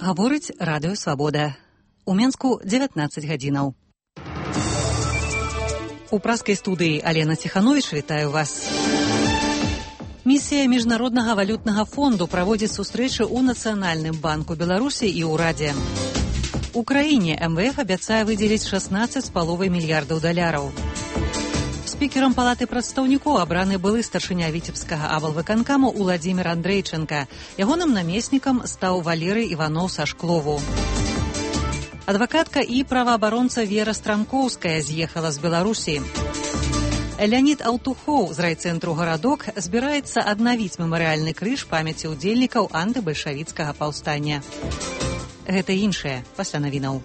Гаворыць радыё Свабода. У Менску 19 гадзінаў. У праскай студыі Алена Ціхановіч вітаю вас. Місія Міжнароднага валютнага фонду праводзіць сустрэчы ў Нацыянальным банку Беларусі і ўрадзе. У краіне МВФ абяцае выдзеліць 16,5 мільярдаў даляраў. Спікерам палаты прадстаўнікоў абраны былы старшыня віцебскага аблвыканкаму Уладзімір Андрейченка. Ягоным намеснікам стаў Валерый Іваноў са Шклову. Адвакатка і праваабаронца Вера Страмкоўская з'ехала з Беларусі. Леонід Аўтухоў з райцэнтру «Гарадок» збіраецца аднавіць мемарыяльны крыж памяці ўдзельнікаў антыбальшавіцкага паўстання. Гэта іншае пасля навінаў.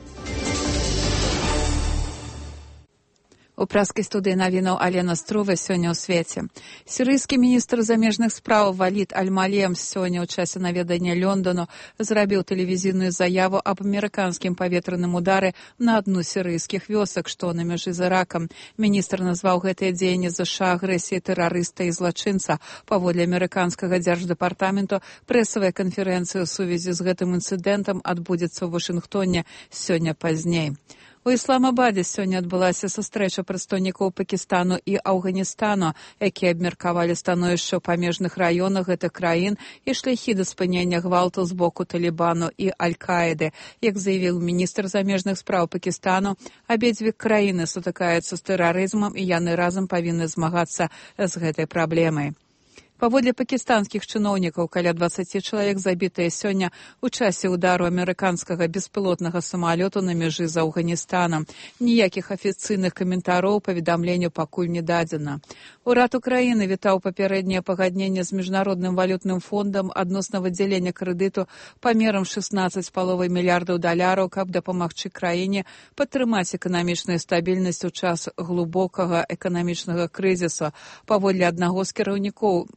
У праскай студыі навінаў Алена Струва сёння ў свеце. Сірыйскі міністр замежных спраў Валід Аль-Малем сёння ў часе наведання Лёндану зрабіў тэлевізійную заяву аб амерыканскім паветраным удары на адну з сірыйскіх вёсак, што на мяжы з Іракам. Міністр назваў гэтыя дзеянні ЗША агрэсіяй тэрарыста і злачынца. Паводле амерыканскага дзярждэпартаменту, прэсавая канферэнцыя ў сувязі з гэтым інцыдэнтам адбудзецца ў Вашынгтоне сёння пазней. У Ісламабадзе сёння адбылася сустрэча прадстаўнікоў Пакістану і Афганістану, якія абмеркавалі становішча ў памежных раёнах гэтых краін і шляхі да спынення гвалту з боку Талібану і Аль-Каіды. Як заявіў міністр замежных спраў Пакістану, абедзве краіны сутыкаюцца з тэрарызмам і яны разам павінны змагацца з гэтай праблемай. Паводле пакістанскіх чыноўнікаў, каля 20 чалавек забітыя сёння ў часе ўдару амерыканскага беспілотнага самалёту на мяжы з Афганістанам. Ніякіх афіцыйных каментароў паведамленню пакуль не дадзена. Урад Украіны вітаў папярэдняе пагадненне з Міжнародным валютным фондам адносна выдзялення крэдыту памерам 16,5 мільярдаў даляраў, каб дапамагчы краіне падтрымаць эканамічную стабільнасць у час глыбокага эканамічнага крызісу. Паводле аднаго з кіраўнікоў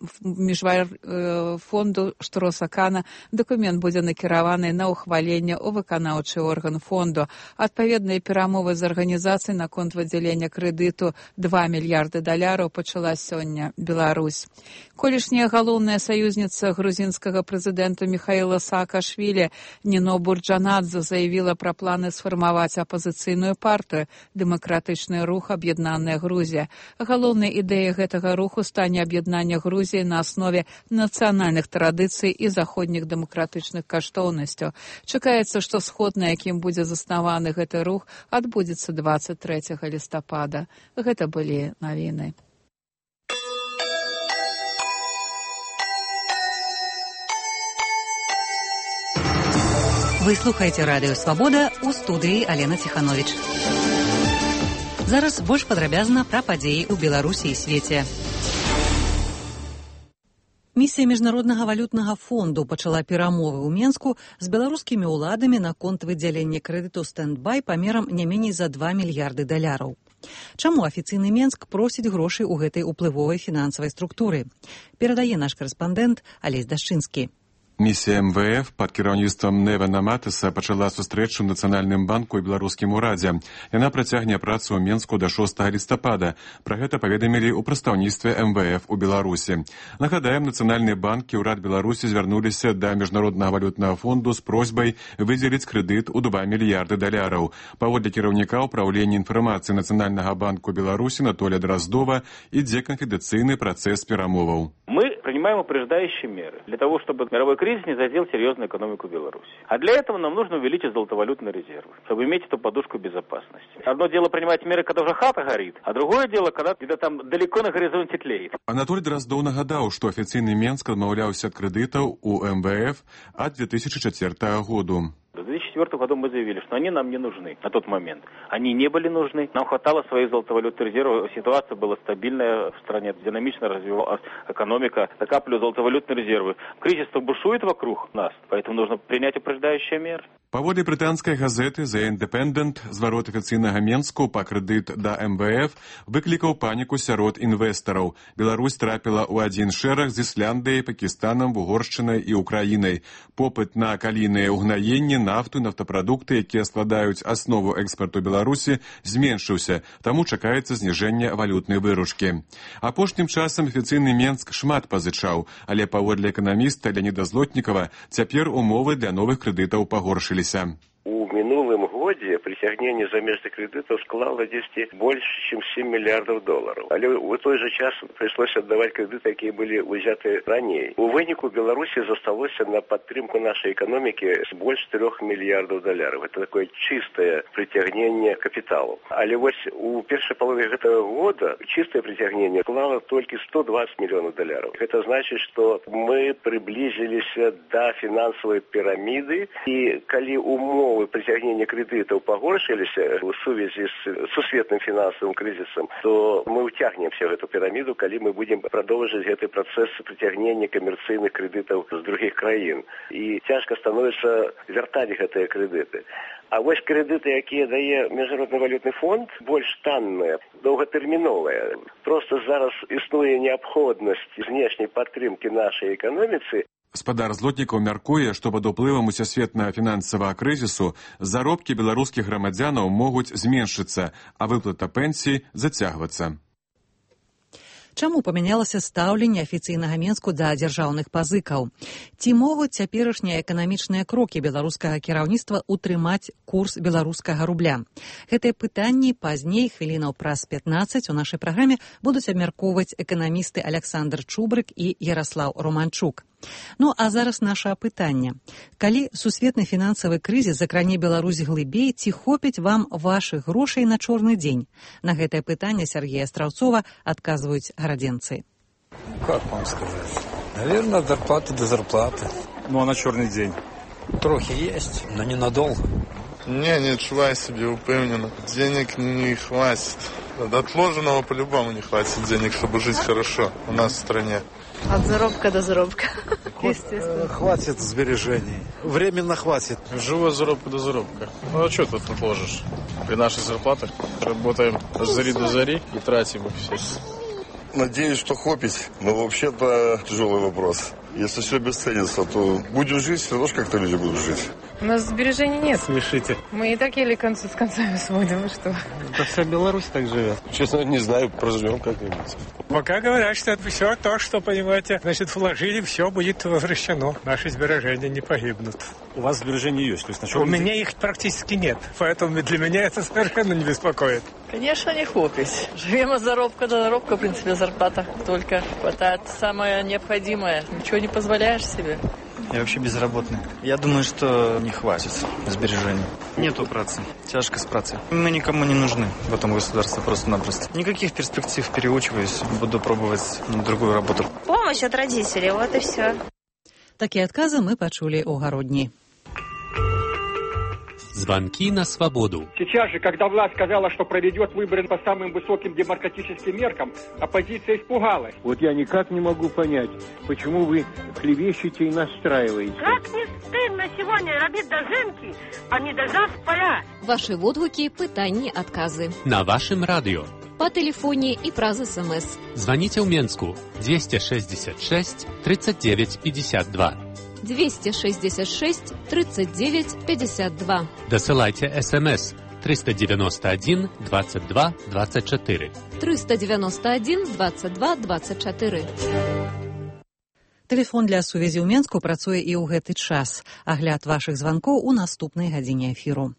фонду Штросакана дакумент будзе накіраваны на ўхваленне ў выканаўчы орган фонду. Адпаведныя перамовы з арганізацыяй наконт выдзялення крэдыту 2 мільярды даляраў пачала сёння Беларусь. Колішняя галоўная саюзніца грузінскага прэзідэнта Міхаіла Саакашвілі Ніно Бурджанадзе заявіла пра планы сфармаваць апазіцыйную партыю «Дэмакратычны рух Аб'яднаная Грузія». Галоўнай ідэяй гэтага руху стане аб'яднанне Грузіі на аснове нацыянальных традыцый і заходніх дэмакратычных каштоўнасцяў. Чакаецца, што сход, на якім будзе заснаваны гэты рух, адбудзецца 23 лістапада. Гэта былі навіны. Вы слухаеце радыё Свабода, у студыі Алена Ціхановіч. Зараз больш падрабязна пра падзеі ў Беларусі і свеце. Місія Міжнароднага валютнага фонду пачала перамовы ў Менску з беларускімі ўладамі наконт выдзялення крэдыту стэндбай памерам не меней за 2 мільярды даляраў. Чаму афіцыйны Менск просіць грошай у гэтай уплывовай фінансавай структуры? Перадае наш карэспандэнт Алесь Дашчынскі. Місія МВФ пад кіраўніцтвам Невана Матыса пачала сустрэчу ў Нацыянальным банку і беларускім урадзе. Яна працягне працу ў Менску да 6 лістапада. Пра гэта паведамілі ў прадстаўніцтве МВФ у Беларусі. Нагадаем, Нацыянальны банк і ўрад Беларусі звярнуліся да Міжнароднага валютнага фонду з просьбай выдзеліць крэдыт у 2 мільярды даляраў. Паводле кіраўніка ўпраўлення інфармацыі Нацыянальнага банку Беларусі Анатолія Дроздова ідзе канфідэнцыйны працэс перамоваў. Мы принимаем упреждающие меры для того, чтобы мировой кризис не задел серьезную экономику Беларуси. А для этого нам нужно увеличить золотовалютные резервы, чтобы иметь эту подушку безопасности. Одно дело принимать меры, когда уже хата горит, а другое дело, когда где-то там далеко на горизонте тлеет. Анатолий Дроздов нагадаў, што афіцыйны Менск адмаўляўся ад крэдытаў у МВФ ад 2004 году. В 2004 году мы заявили, что они нам не нужны на тот момент. Они не были нужны. Нам хватало своих золотовалютных резервов. Ситуация была стабильная в стране, динамично развивалась экономика, накапливали золотовалютные резервы. Кризис бушует вокруг нас, поэтому нужно принять упреждающие меры. Паводле брытанскай газеты The Independent, зварот афіцыйнага Менску па крэдыт да МВФ выклікаў паніку сярод інвестараў. Беларусь трапіла ў адзін шэраг з Ісляндыяй, Пакістанам, Вугоршчынай і Украінай. Попыт на калійныя ўгнаенні, нафту, нафтапрадукты, якія складаюць аснову экспарту Беларусі, зменшыўся, таму чакаецца зніжэнне валютнай выручкі. Апошнім часам афіцыйны Менск шмат пазычаў, але паводле эканаміста Леаніда Злотнікава цяпер умовы для новых крэдытаў пагоршыліся. У минулым году притягнение замежных кредитов склало 10 больше, чем $7 миллиардов. Але в той же час пришлось отдавать кредиты, которые были взяты ранее. У вынику Беларуси засталось на подтримку нашей экономики с больше $3 миллиардов. Это такое чистое притягнение капиталу. Але вот у первой половины этого года чистое притягнение склало только $120 миллионов. Это значит, что мы приблизились до финансовой пирамиды, и коли умовы притягнения кредитов погоршились в связи с сусветным финансовым кризисом, то мы утягнемся в эту пирамиду, коли мы будем продолжить этот процесс притягнения коммерційних кредитов з других країн. І тяжко становиться вертать эти кредиты. А ось кредити, які дає Міжнародний валютний фонд, більш танні, довготермінові. Просто зараз існує необхідність знешньої підтримки нашої економіці. Гаспадар Злотнікаў мяркуе, што пад уплывам усесветнага фінансавага крызісу заробкі беларускіх грамадзянаў могуць зменшыцца, а выплата пенсій зацягвацца. Чаму памянялася стаўленне афіцыйнага Менску да дзяржаўных пазыкаў? Ці могуць цяперашнія эканамічныя крокі беларускага кіраўніцтва утрымаць курс беларускага рубля? Гэтыя пытанні пазней, хвілінаў праз 15, у нашай праграме будуць абмяркоўваць эканамісты Александр Чубрык і Яраслаў Романчук. Ну, а зараз наша пытанне. Калі сусветны фінансавы крызіс закране Беларусь глыбей, ці хопіць вам вашых грошай на чорны дзень? На гэтае пытанне Сергея Страўцова адказваюць гарадзенцы. Как вам сказать? Наверное, от зарплаты до зарплаты. Ну, а на черный день? Трохи есть, но ненадолго. Не отчуваю себе упевненно. Денег не хватит. До отложенного по-любому не хватит денег, чтобы жить хорошо у нас в стране. От заработка до заработка, естественно. Хватит сбережений. Временно хватит. Живу от заработка до заработка. Ну, а что тут отложишь? При наших зарплатах работаем с зари до зари и тратим их все. Надеюсь, что хопить, но вообще-то тяжелый вопрос. Если все обесценится, то будем жить, все равно как-то люди будут жить. У нас сбережений нет. Смешите. Мы и так еле концы с концами сводим, вы что? Да вся Беларусь так живет. Честно, не знаю, проживем как-нибудь. Пока говорят, что это все то, что, понимаете, значит, вложили, все будет возвращено. Наши сбережения не погибнут. У вас сбережения есть? То есть У меня их практически нет, поэтому для меня это совершенно не беспокоит. Конечно, не хопить. Живем от заработка до заработка, в принципе, зарплата только хватает самое необходимое. Ничего не позволяешь себе. Я вообще безработный. Я думаю, что не хватит сбережений. Нету працы. Тяжко с працей. Мы никому не нужны в этом государстве просто-напросто. Никаких перспектив, переучиваюсь. Буду пробовать другую работу. Помощь от родителей, вот и все. Такие отказы мы почули у Городни. Звонки на свободу. Сейчас же, когда власть сказала, что проведет выборы по самым высоким демократическим меркам, оппозиция испугалась. Вот я никак не могу понять, почему вы хлебещете и настраиваете. Как не стыдно сегодня робить дожинки, а не дожав поля. Ваши відгуки, питання, отказы. На вашем радио. По телефоне и праз СМС. Звоните в Менску 266 39 52. 266 39 52. Досылайте СМС 391 22 24. 391 22 24. Тэлефон для сувязі ў Менску працуе і ў гэты час. Агляд вашых званкоў у наступнай гадзіне эфіру.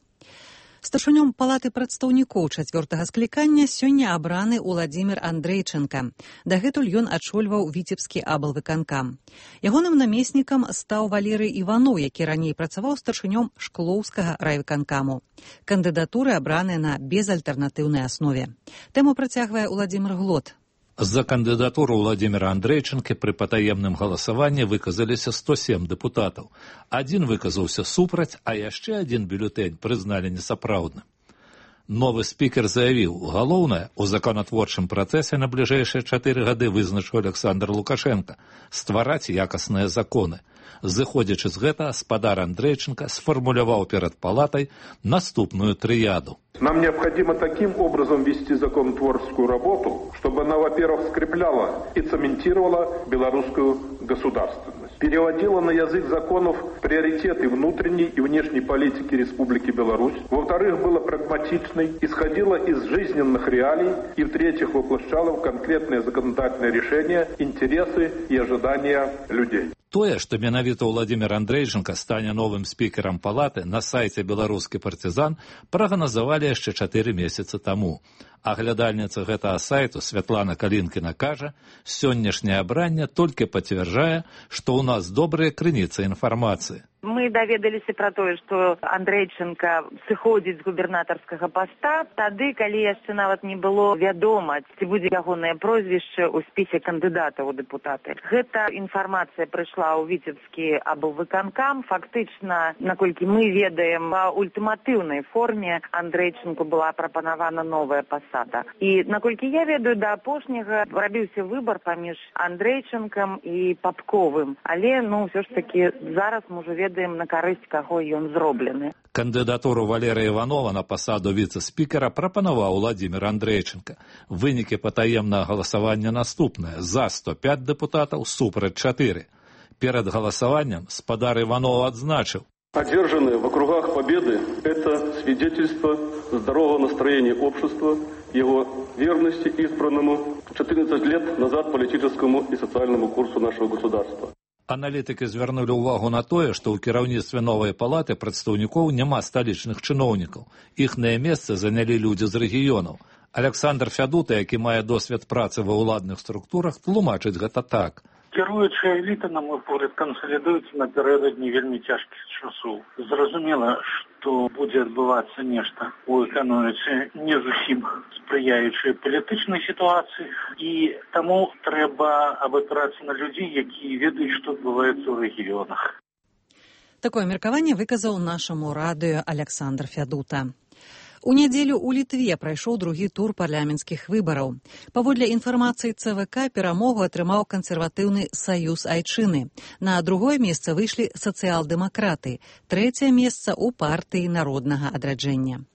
Старшынём палаты прадстаўнікоў 4-га склікання сёння абраны Уладзімір Андрейченка. Дагэтуль ён ачольваў віцебскі аблвыканкам. Ягоным намеснікам стаў Валерый Іваноў, які раней працаваў старшынём Шклоўскага райвыканкаму. Кандыдатуры абраныя на безальтэрнатыўнай аснове. Тэму працягвае Уладзімір Глот. За кандыдатуру Владимира Андрейченко при патаемным галасаванні выказаліся 107 депутатаў. Адзін выказаўся супраць, а яшчэ адзін бюлетэнь прызналі несапраўдным. Новы спікер заявіў, галоўнае у законатворчым працэсе на бліжэйшыя 4 гады вызначыў Александр Лукашенко ствараць якасныя законы. Зыходзячы з гэтага, спадар Андрейченко сфармуляваў перад палатай наступную трыяду. Нам необходимо таким образом вести законотворческую работу, чтобы она, во-первых, скрепляла и цементировала белорусскую государственность, переводила на язык законов приоритеты внутренней и внешней политики Республики Беларусь, во-вторых, была прагматичной, исходила из жизненных реалий и, в-третьих, воплощала в конкретные законодательные решения интересы и ожидания людей. Тое, што менавіта Владимир Андрейченко стане новым спікерам палаты, на сайце «Беларускі партызан» прагназавалі яшчэ 4 месяцы таму. Аглядальніца гэтага сайту Святлана Калінкіна кажа, сённяшняе абранне толькі пацвярджае, што ў нас добрыя крыніцы інфармацыі. Мы даведаліся пра тое, што Андрейченко сыходзіць з губернатарскага паста тады, калі яшчэ нават не было вядома, ці будзе ягонае прозвішча ў спісе кандыдатаў у дэпутаты. Гэта інфармацыя прыйшла ў Віцебскі аблвыканкам. Фактычна, наколькі мы ведаем, ва ультыматыўнай форме Андрейченку была прапанавана новая пасада. І, наколькі я ведаю, да апошняга рабіўся выбар паміж Андрейченкам і Папковым. Але, ўсё ж такі, зараз мы ўжо ведаем, на карысць каго ён зроблены. Кандыдатуру Валерія Іванова на пасаду віцэ-спікера прапанаваў Владимир Андрейченко. Вынікі патаемнага галасавання наступныя. За 105 дэпутатаў, супраць 4. Перад галасаваннем спадар Иванова адзначыў. Одержанные в округах победы – это свидетельство здорового настроения общества, его верности избранному 14 лет назад политическому и социальному курсу нашего государства. Аналітыкі звярнулі ўвагу на тое, што ў кіраўніцтве новай палаты прадстаўнікоў няма сталічных чыноўнікаў. Іхнае месца занялі людзі з рэгіёнаў. Александр Фядута, які мае досвед працы ва ўладных структурах, тлумачыць гэта так. Кіруючая эліта, на мой погляд, кансалідуецца напярэдадні вельмі цяжкіх часоў. Зразумела, што будзе адбывацца нешта ў эканоміцы не зусім спрыяючай палітычнай сітуацыі, і таму трэба абапірацца на людзей, якія ведаюць, што адбываецца ў рэгіёнах. Такое меркаванне выказаў нашаму радыё Александр Фядута. У нядзелю ў Літве прайшоў другі тур парламенцкіх выбараў. Паводле інфармацыі ЦВК перамогу атрымаў кансерватыўны Саюз Айчыны. На другое месца выйшлі сацыял-дэмакраты. Трэцяе месца ў партыі народнага адраджэння.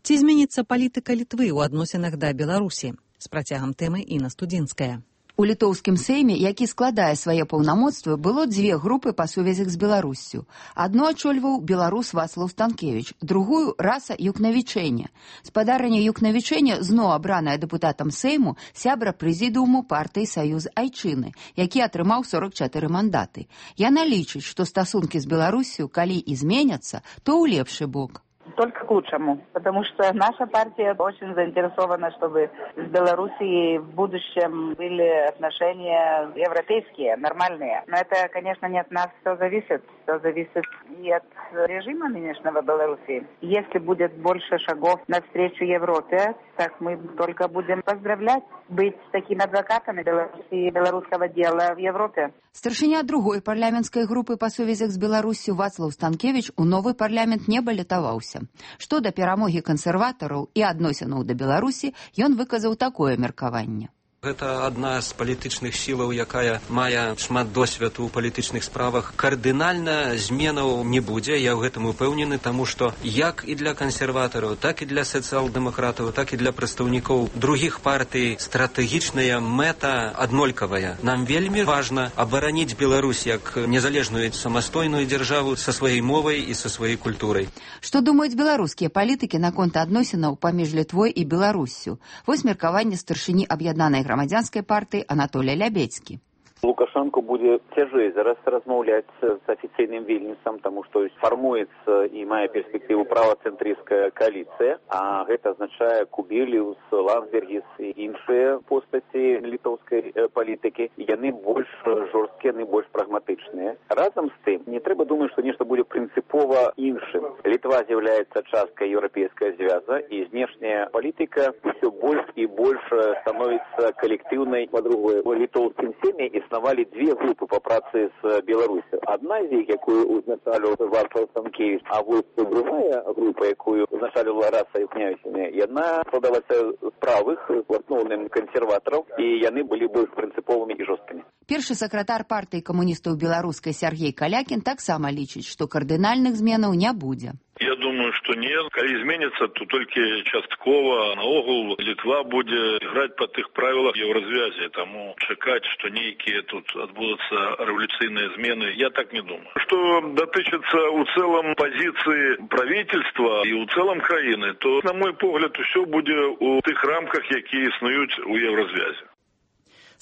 Ці зменіцца палітыка Літвы ў адносінах да Беларусі? З працягам тэмы Інна Студзінская. У літоўскім сейме, які складае свае паўнамоцтвы, было 2 групы па сувязях з Беларуссю. Адну ачольваў беларус Вацлаў Станкевіч, другую – Раса Юкнавічэня. Спадарня Юкнавічэня зноў абраная дэпутатам сейму сябра прэзідыуму партыі Саюз Айчыны, які атрымаў 44 мандаты. Яна лічыць, што стасункі з Беларуссю, калі і зменяцца, то ў лепшы бок. Только к лучшему, потому что наша партия очень заинтересована, чтобы с Белоруссией в будущем были отношения европейские, нормальные. Но это, конечно, не от нас все зависит и от режима нынешнего Белоруссии. Если будет больше шагов навстречу Европе, так мы только будем поздравлять, быть такими адвокатами Беларуси и белорусского дела в Европе. Старшыня другой парламенцкай групы па сувязях з Беларуссю Вацлаў Станкевіч у новы парламент не балятаваўся. Што да перамогі кансерватараў і адносінаў да Беларусі, ён выказаў такое меркаванне. Гэта адна з палітычных сілаў, якая мае шмат досведу ў палітычных справах. Кардынальна зменаў не будзе, я ў гэтым упэўнены, таму што як і для кансерватараў, так і для сацыял-дэмакратаў, так і для прадстаўнікоў другіх партый стратэгічная мэта аднолькавая. Нам вельмі важна абараніць Беларусь як незалежную самастойную дзяржаву са сваёй мовай і са сваёй культурай. Што думаюць беларускія палітыкі наконт адносінаў паміж Літвой і Беларуссю? Вось меркаванне старшыні аб'яднанай грамадзянскай партыі Анатолія Лябедзькі. Лукашенко будет тяжей зараз размаўляць с официальным Вильнюсом, потому что формуется и мае перспективу правоцентристская коалиция, а это означает Кубіліус, Ландсбергіс и іншыя постаці литовской политики. Яны больш жорсткія, яны больш прагматычныя. Разом с тым, не трэба думаць, что нешта будет принципово іншым. Литва з'яўляецца часткой европейского звяза, и внешняя политика все больше и больше становится коллективной. По-другому, в литовском семье заснавалі две групы па працы з Беларусю. Адна з іх, якую узначаліў Вацлаў Станкевіч, а вось другая група, якую узначаліла Раса Юкнявічыня, яна складалася з правых, в асноўным кансерватараў, і яны былі больш прынцыповымі і жорсткімі. Першы сакратар партыі камуністаў беларускай Сергей Калякін таксама лічыць, што кардынальных зменаў не будзе. Я думаю, что нет. Калі зменится, то только частково. Наогул Литва будет играть по тых правилах Евразвязи. Тому чекать, что некие тут отбудутся революционные змены, я так не думаю. Что дотычется у целом позиции правительства и у целом краины, то, на мой погляд, все будет у тых рамках, які існують у Евразвязи.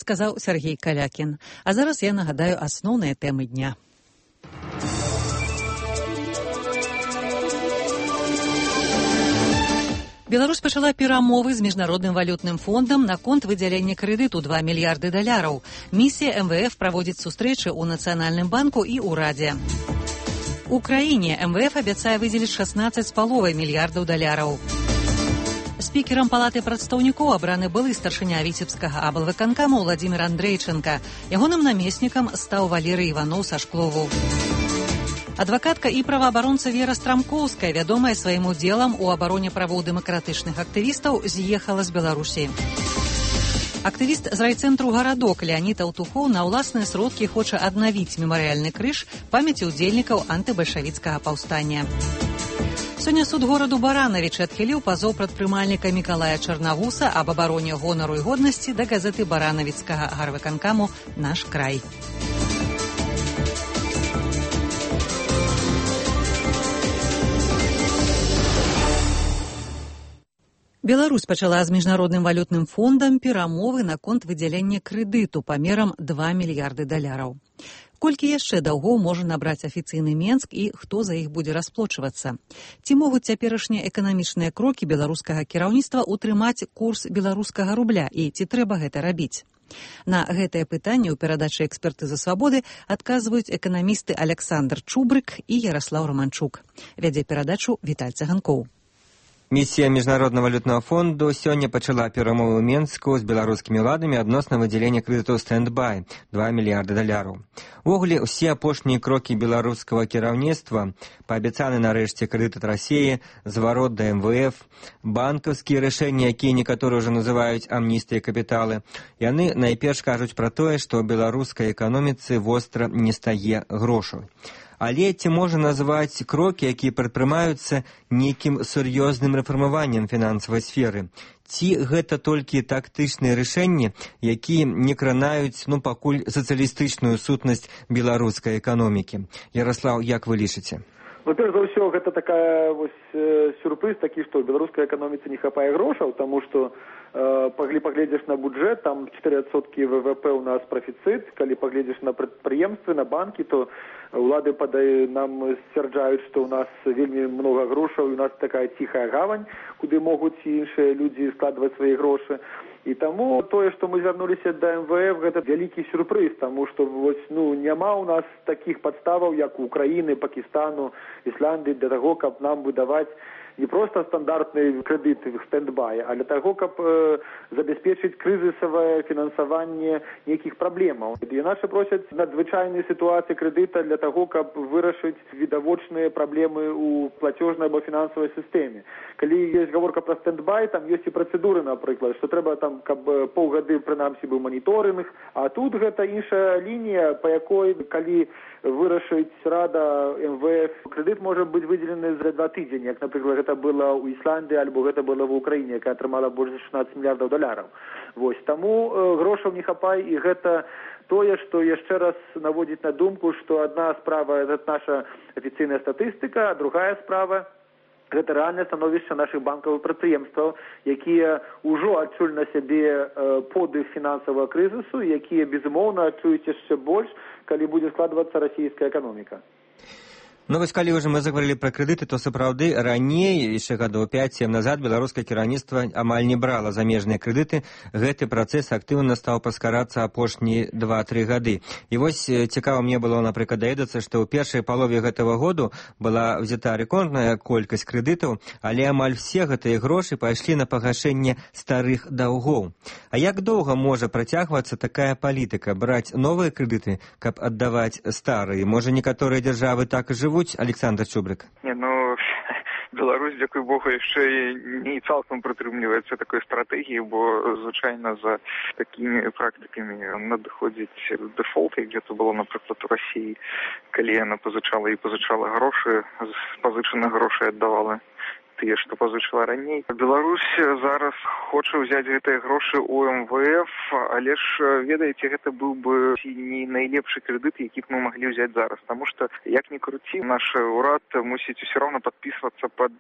Сказаў Сергей Калякін. А зараз я нагадаю асноўныя тэмы дня. Беларусь пачала перамовы з міжнародным валютным фондам наконт выдзялення крэдыту $2 мільярды. Місія МВФ праводзіць сустрэчы ў Нацыянальным банку і ўрадзе. У краіне МВФ абяцае выдзеліць $16,5 мільярдаў. Спікерам палаты прадстаўнікоў абраны былы старшыня віцебскага аблвыканкаму Владимир Андрейченко. Ягоным намеснікам стаў Валерый Іванов са Шклову. Адвакатка і праваабаронца Вера Страмкоўская, вядомая сваім удзелам у абароне правоў дэмакратычных актывістаў, з'ехала з Беларусі. Актывіст з райцэнтру «Гарадок» Леонид Алтухоў на ўласныя сродкі хоча аднавіць мемарыяльны крыж памяці ўдзельнікаў антыбальшавіцкага паўстання. Сёння суд гораду Баранавіч адхіліў пазоў прадпрымальніка Мікалая Чарнавуса аб абароне гонару і годнасці да газеты баранавіцкага гарвыканкаму «Наш край». Беларусь пачала з міжнародным валютным фондам перамовы наконт выдзялення крэдыту памерам $2 мільярды. Колькі яшчэ даўгоў можа набраць афіцыйны Менск і хто за іх будзе расплочвацца? Ці могуць цяперашнія эканамічныя крокі беларускага кіраўніцтва утрымаць курс беларускага рубля і ці трэба гэта рабіць? На гэтае пытанне ў перадачы «Экспертызы свабоды» адказваюць эканамісты Александр Чубрык і Ярослаў Романчук. Вядзе перадачу Віталь Цыганкоў. Місія Міжнароднага валютнага фонду сёння пачала перамовы ў Менску з беларускімі ўладамі адносна выдзялення крэдыту «Стэндбай» $2 мільярды. Увогуле, усе апошнія крокі беларускага кіраўніцтва, паабяцаны нарэшце крэдыт ад Расіі, зварот да МВФ, банкаўскія рашэнні, якія некаторыя ўжо называюць амністыяй капіталы, яны найперш кажуць пра тое, што беларускай эканоміцы востра не стае грошаў. Але ці можа назваць крокі, якія прадпрымаюцца нейкім сур'ёзным рэфармаваннем фінансавай сферы? Ці гэта толькі тактычныя рашэнні, якія не кранаюць, пакуль сацыялістычную сутнасць беларускай эканомікі? Ярослаў, як вы лічыце? Перш за ўсё, гэта такая сюрпрыз такі, што беларускай эканоміцы не хапае грошаў, таму што паглядзіш на бюджэт, там 4% ВВП у нас профіцыт, калі паглядзіш на прадпрыемствы, на банкі, то улады нам сцвярджаюць, што ў нас вельмі много грошаў, у нас такая ціхая гавань, куды могуць іншыя людзі складваць свае грошы. І таму тое, што мы звярнуліся да МВФ, гэта вялікі сюрпрыз, таму што няма ў нас такіх падставаў, як у Украіны, Пакістану, Ісландыі, для таго, каб нам выдаваць не просто стандартны крэдыт стэндбай, а для таго, каб забяспечыць крызісавае фінансаванне нейкіх праблемаў. І нашы просяць надзвычайнай сітуацыі крэдыта для таго, каб вырашыць відавочныя праблемы ў плацёжнай або фінансавай сістэме. Калі ёсць гаворка пра стэндбай, там ёсць і працэдуры, напрыклад, што трэба там, каб паўгады прынамсі быў маніторынг, а тут гэта іншая лінія, па якой, калі вырашыць Рада МВФ, крэдыт можа быць выдзелены за 2 тыдзені, як, напрыклад, гэта было ў Ісландыі, альбо гэта было в Украіне, якая атрымала больш за $16 мільярдаў. Таму грошаў не хапае, і гэта тое, што яшчэ раз наводзіць на думку, што адна справа – гэта наша афіцыйная статыстыка, а другая справа – гэта рэальнае становішча нашых банкавых прадпрыемстваў, якія ўжо адчулі на сябе подых фінансавага крызісу, якія, безумоўна, адчуюць яшчэ больш, калі будзе складвацца расійская эканоміка. Ну вось калі ўжо мы заговорили про крэдыты, то сапраўды раней, яшчэ гадоў 5-7 назад, беларускае кіраўніцтва амаль не брала замежныя крэдыты. Гэты працэс актыўна стаў паскарацца апошнія 2-3 гады. І вось цікава мне было, напрыклад, даведацца, што ў першай палове гэтага году была взята рэкордная колькасць крэдытаў, але амаль все гэтыя грошы пайшлі на пагашэнне старых даўгоў. А як доўга можа працягвацца такая палітыка, браць новыя крэдыты, каб аддаваць старыя? Можа, некаторыя дзяржавы так і жывуць? Александр Чубрык. Не, ну, Беларусь, дзякуй Богу, яшчэ не цалкам прытрымліваецца такой стратэгіі, бо, звычайна, за такімі практыкамі надыходзіць дэфолт, як гэта было, напрыклад, у Расіі, калі яна пазычала грошы, пазычаныя грошы аддавала тыя, што пазычала раней. Беларусь зараз хоча ўзяць гэтыя грошы у МВФ, але ж, ведаеце, гэта быў бы не найлепшы крэдыт, які б мы маглі ўзяць зараз, таму што, як ні круці, наш урад мусіць усё роўна падпісвацца пад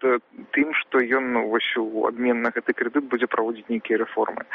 тым, што ён вось у абмен на гэты крэдыт будзе праводзіць нейкія рэформы,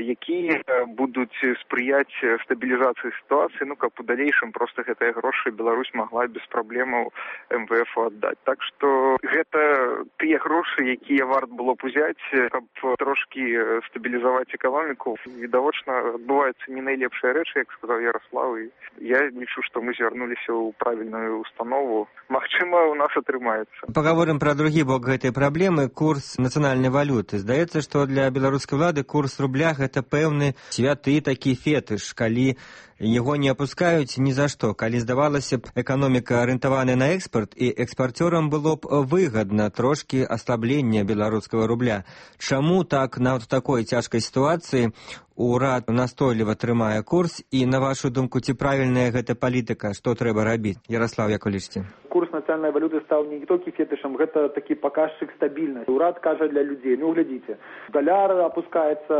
якія будуць спрыяць стабілізацыі сітуацыі, ну, каб у далейшым проста гэтыя грошы Беларусь магла без праблемаў МВФ аддаць. Так што гэта тыя грошы, якія варт было б узяць, каб трошкі стабілізаваць эканоміку. Відавочна, адбываюцца не найлепшыя рэчы, як сказаў Ярослав, і я лічу, што мы звярнуліся ў правільную установу. Магчыма, у нас атрымаецца. Пагаворым пра другі бок гэтай праблемы, курс нацыянальнай валюты. Здаецца, што для беларускай улады курс рубля гэта пэўны святы такі фетыш, калі яго не апускаюць ні за што, калі, здавалася б, эканоміка арыентаваная на экспарт, і экспарцёрам было б выгадна трошкі аслаблення беларускага рубля. Чаму так нават у такой цяжкай сітуацыі урад настойліва трымае курс, і, на вашу думку, ці правільная гэта палітыка, што трэба рабіць? Ярослав, як вы лічыце? Курс нацыянальнай валюты стаў не толькі фетышам, гэта такі паказчык стабільнасці. Урад кажа для людзей, ну, глядзіце, даляр апускаецца,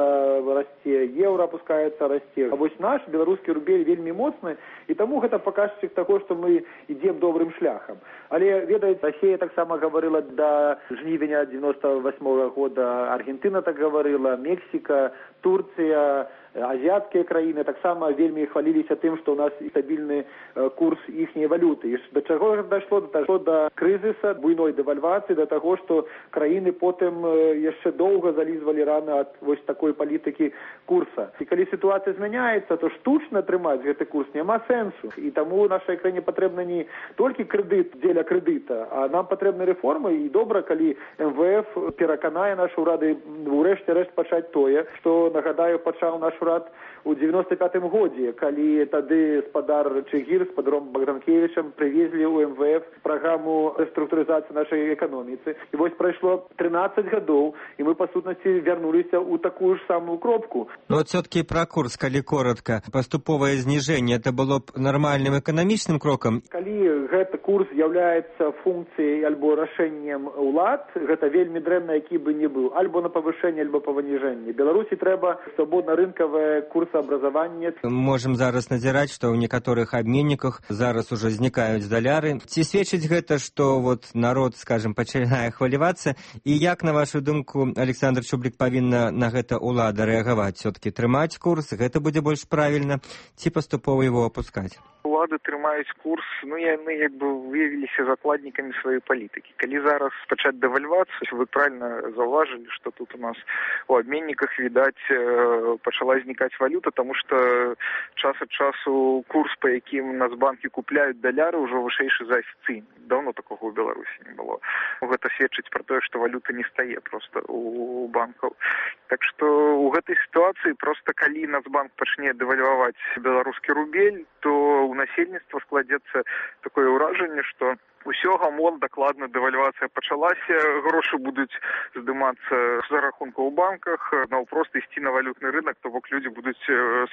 расце, еўра апускаецца, расце. А вось наш беларускі рубель вельмі моцны, і таму гэта паказчык таго, што мы ідзем добрым шляхам. Але, ведаеце, Расія таксама гаварыла да жнівеня 98-го года, Аргентына так гаварыла, Мексіка, Турцыя, азіяцкія краіны таксама вельмі хваліліся тым, што ў нас стабільны курс іхняй валюты. І да чаго дайшло? Да крызіса, буйной дэвальвацыі, да таго, што краіны потым яшчэ доўга залізвалі раны ад вось такой палітыкі курса. І калі сітуацыя змяняецца, то штучна трымаць гэты курс няма сэнсу. І таму нашай краіне патрэбна не толькі крэдыт дзеля крэдыта, а нам патрэбны рэформы, і добра, калі МВФ пераканае нашы ўрады ўрэшце рэшт пачаць тое, што, нагадаю, пачаў наш урад у 95-м годзе, калі тады спадар Чыгір з спадаром Богданкевічам прывезлі ў МВФ праграму рэструктурызацыі нашай эканоміцы. І вось прайшло 13 гадоў, і мы, па сутнасці, вярнуліся ў такую ж самую кропку. Ну, вот все-таки про курс, калі коротко, поступовое знижение, это было б нармальным эканамічным крокам? Калі гэты курс з'яўляецца функцыяй альбо рашэннем улад, гэта вельмі дрэнна, які бы не быў, альбо на павышэнне, альбо паваніжэнне. Беларусі трэба свабодна-рынкавае курсаабразаванне. Можам зараз назіраць, што ў некаторых абменніках зараз ужо знікаюць даляры. Ці сведчыць гэта, што вот народ, скажем, пачынае хвалявацца? І як, на вашу думку, Александр Чубрык, павінна на гэта ўлада рэагаваць? Все-таки трымаць курс, гэта будзе больш правільна, ці паступова его опускаць? Улады трымаюць курс, ну, яны як бы выявіліся закладнікамі сваёй палітыкі. Калі зараз пачаць дэвальвацыю, вы правильно заўважылі, што тут у нас у абменніках, відаць, пачала знікаць валюта, таму што час ад часу курс, па якім нацбанкі купляюць даляры, ўжо вышэйшы за афіцыйны. Даўно такога ў Беларусі не было. Гэта сведчыць пра тое, што валюта не стае проста у банкаў. Так што ў гэтай сітуацыі проста калі Нацбанк пачне дэвальваваць беларускі рубель, то у насельніцтва складзецца такое ўражанне, што усё гамон, дакладна дэвальвацыя пачалася, грошы будуць здымацца за рахунку ў банках, наўпрост ісці на валютны рынок, то бок людзі будуць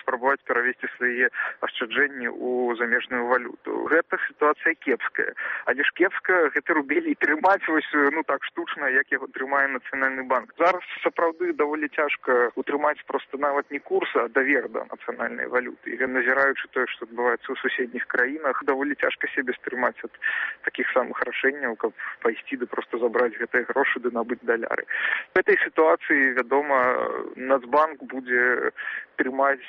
спрабаваць перавесці свае ашчаджэнні ў замежную валюту. Гэта сітуацыя кепская. Але ж кепска гэты рубель і трымаць вось, ну так штучна, як яго трымае Нацыянальны банк. Зараз сапраўды даволі цяжка утрымаць проста нават не курс, а давер да нацыянальнай валюты. І назіраючы тое, што адбываецца ў суседніх краінах, даволі цяжка сябе стрымаць ад такіх такіх самых рашэнняў, каб пайсці да проста забраць гэтыя грошы ды набыць даляры. В этой сітуацыі, вядома, Нацбанк будзе трымаць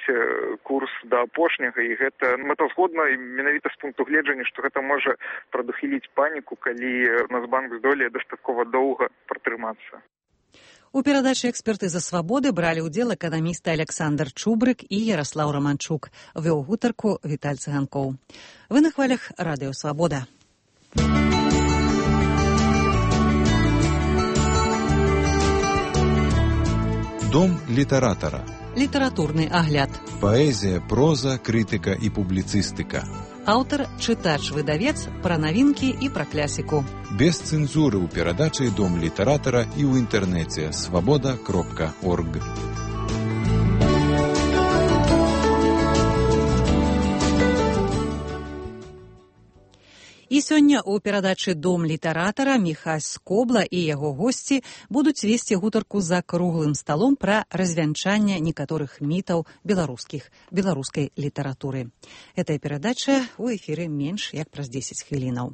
курс да апошняга, і гэта мэтазгодна менавіта з пункту гледжання, што гэта можа прадухіліць паніку, калі Нацбанк здолее дастаткова доўга пратрымацца. У перадачы «Экспертыза свабоды» бралі ўдзел эканамісты Александр Чубрык і Яраслаў Романчук. Вёў гутарку Віталь Цыганкоў. Вы на хвалях радыё «Свабода». Дом літаратара. Літаратурны агляд. Паэзія, проза, крытыка і публіцыстыка. Аўтар, чытач, выдавец, пра навінкі і пра клясіку. Без цэнзуры ў перадачы «Дом літаратара» і ў інтэрнэце свабода.орг. І сёння ў перадачы «Дом літаратара» Міхась Скобла і яго госці будуць весці гутарку за круглым сталом пра развянчанне некаторых мітаў беларускай літаратуры. Гэтая перадача ў эфіры менш як праз 10 хвілінаў.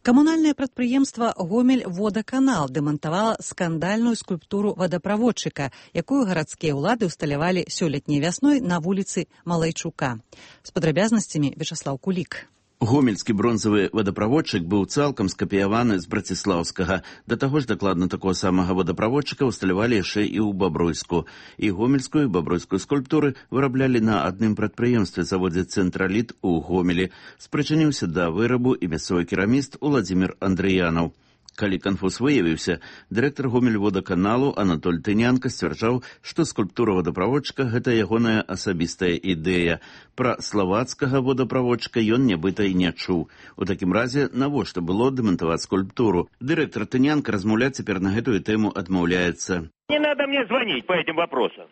Камунальнае прадпрыемства «Гомель-Водаканал» дэмантавала скандальную скульптуру вадаправодчыка, якую гарадскія ўлады ўсталявалі сёлетняй вясной на вуліцы Малайчука. З падрабязнасцямі Вячаслаў Кулік. Гомельскі бронзавы вадаправодчык быў цалкам скапіяваны з браціслаўскага. Да таго ж дакладна такого самага вадаправодчыка ўсталявалі яшчэ і ў Бабруйску. І гомельскую, і бабруйскую скульптуры выраблялі на адным прадпрыемстве заводзе «Цэнтраліт» у Гомелі. Спрычыніўся да вырабу і мясцовы кераміст Уладзімір Андрыянаў. Калі канфуз выявіўся, дырэктар Гомель-Водаканалу Анатоль Тынянка сцвярджаў, што скульптура вадаправодчыка – гэта ягоная асабістая ідэя. Пра славацкага вадаправодчыка ён нібыта і не чуў. У такім разе, навошта было дэмантаваць скульптуру? Дырэктар Тынянка размаўляць цяпер на гэтую тэму адмаўляецца. Не надо мне звонить по этим вопросам.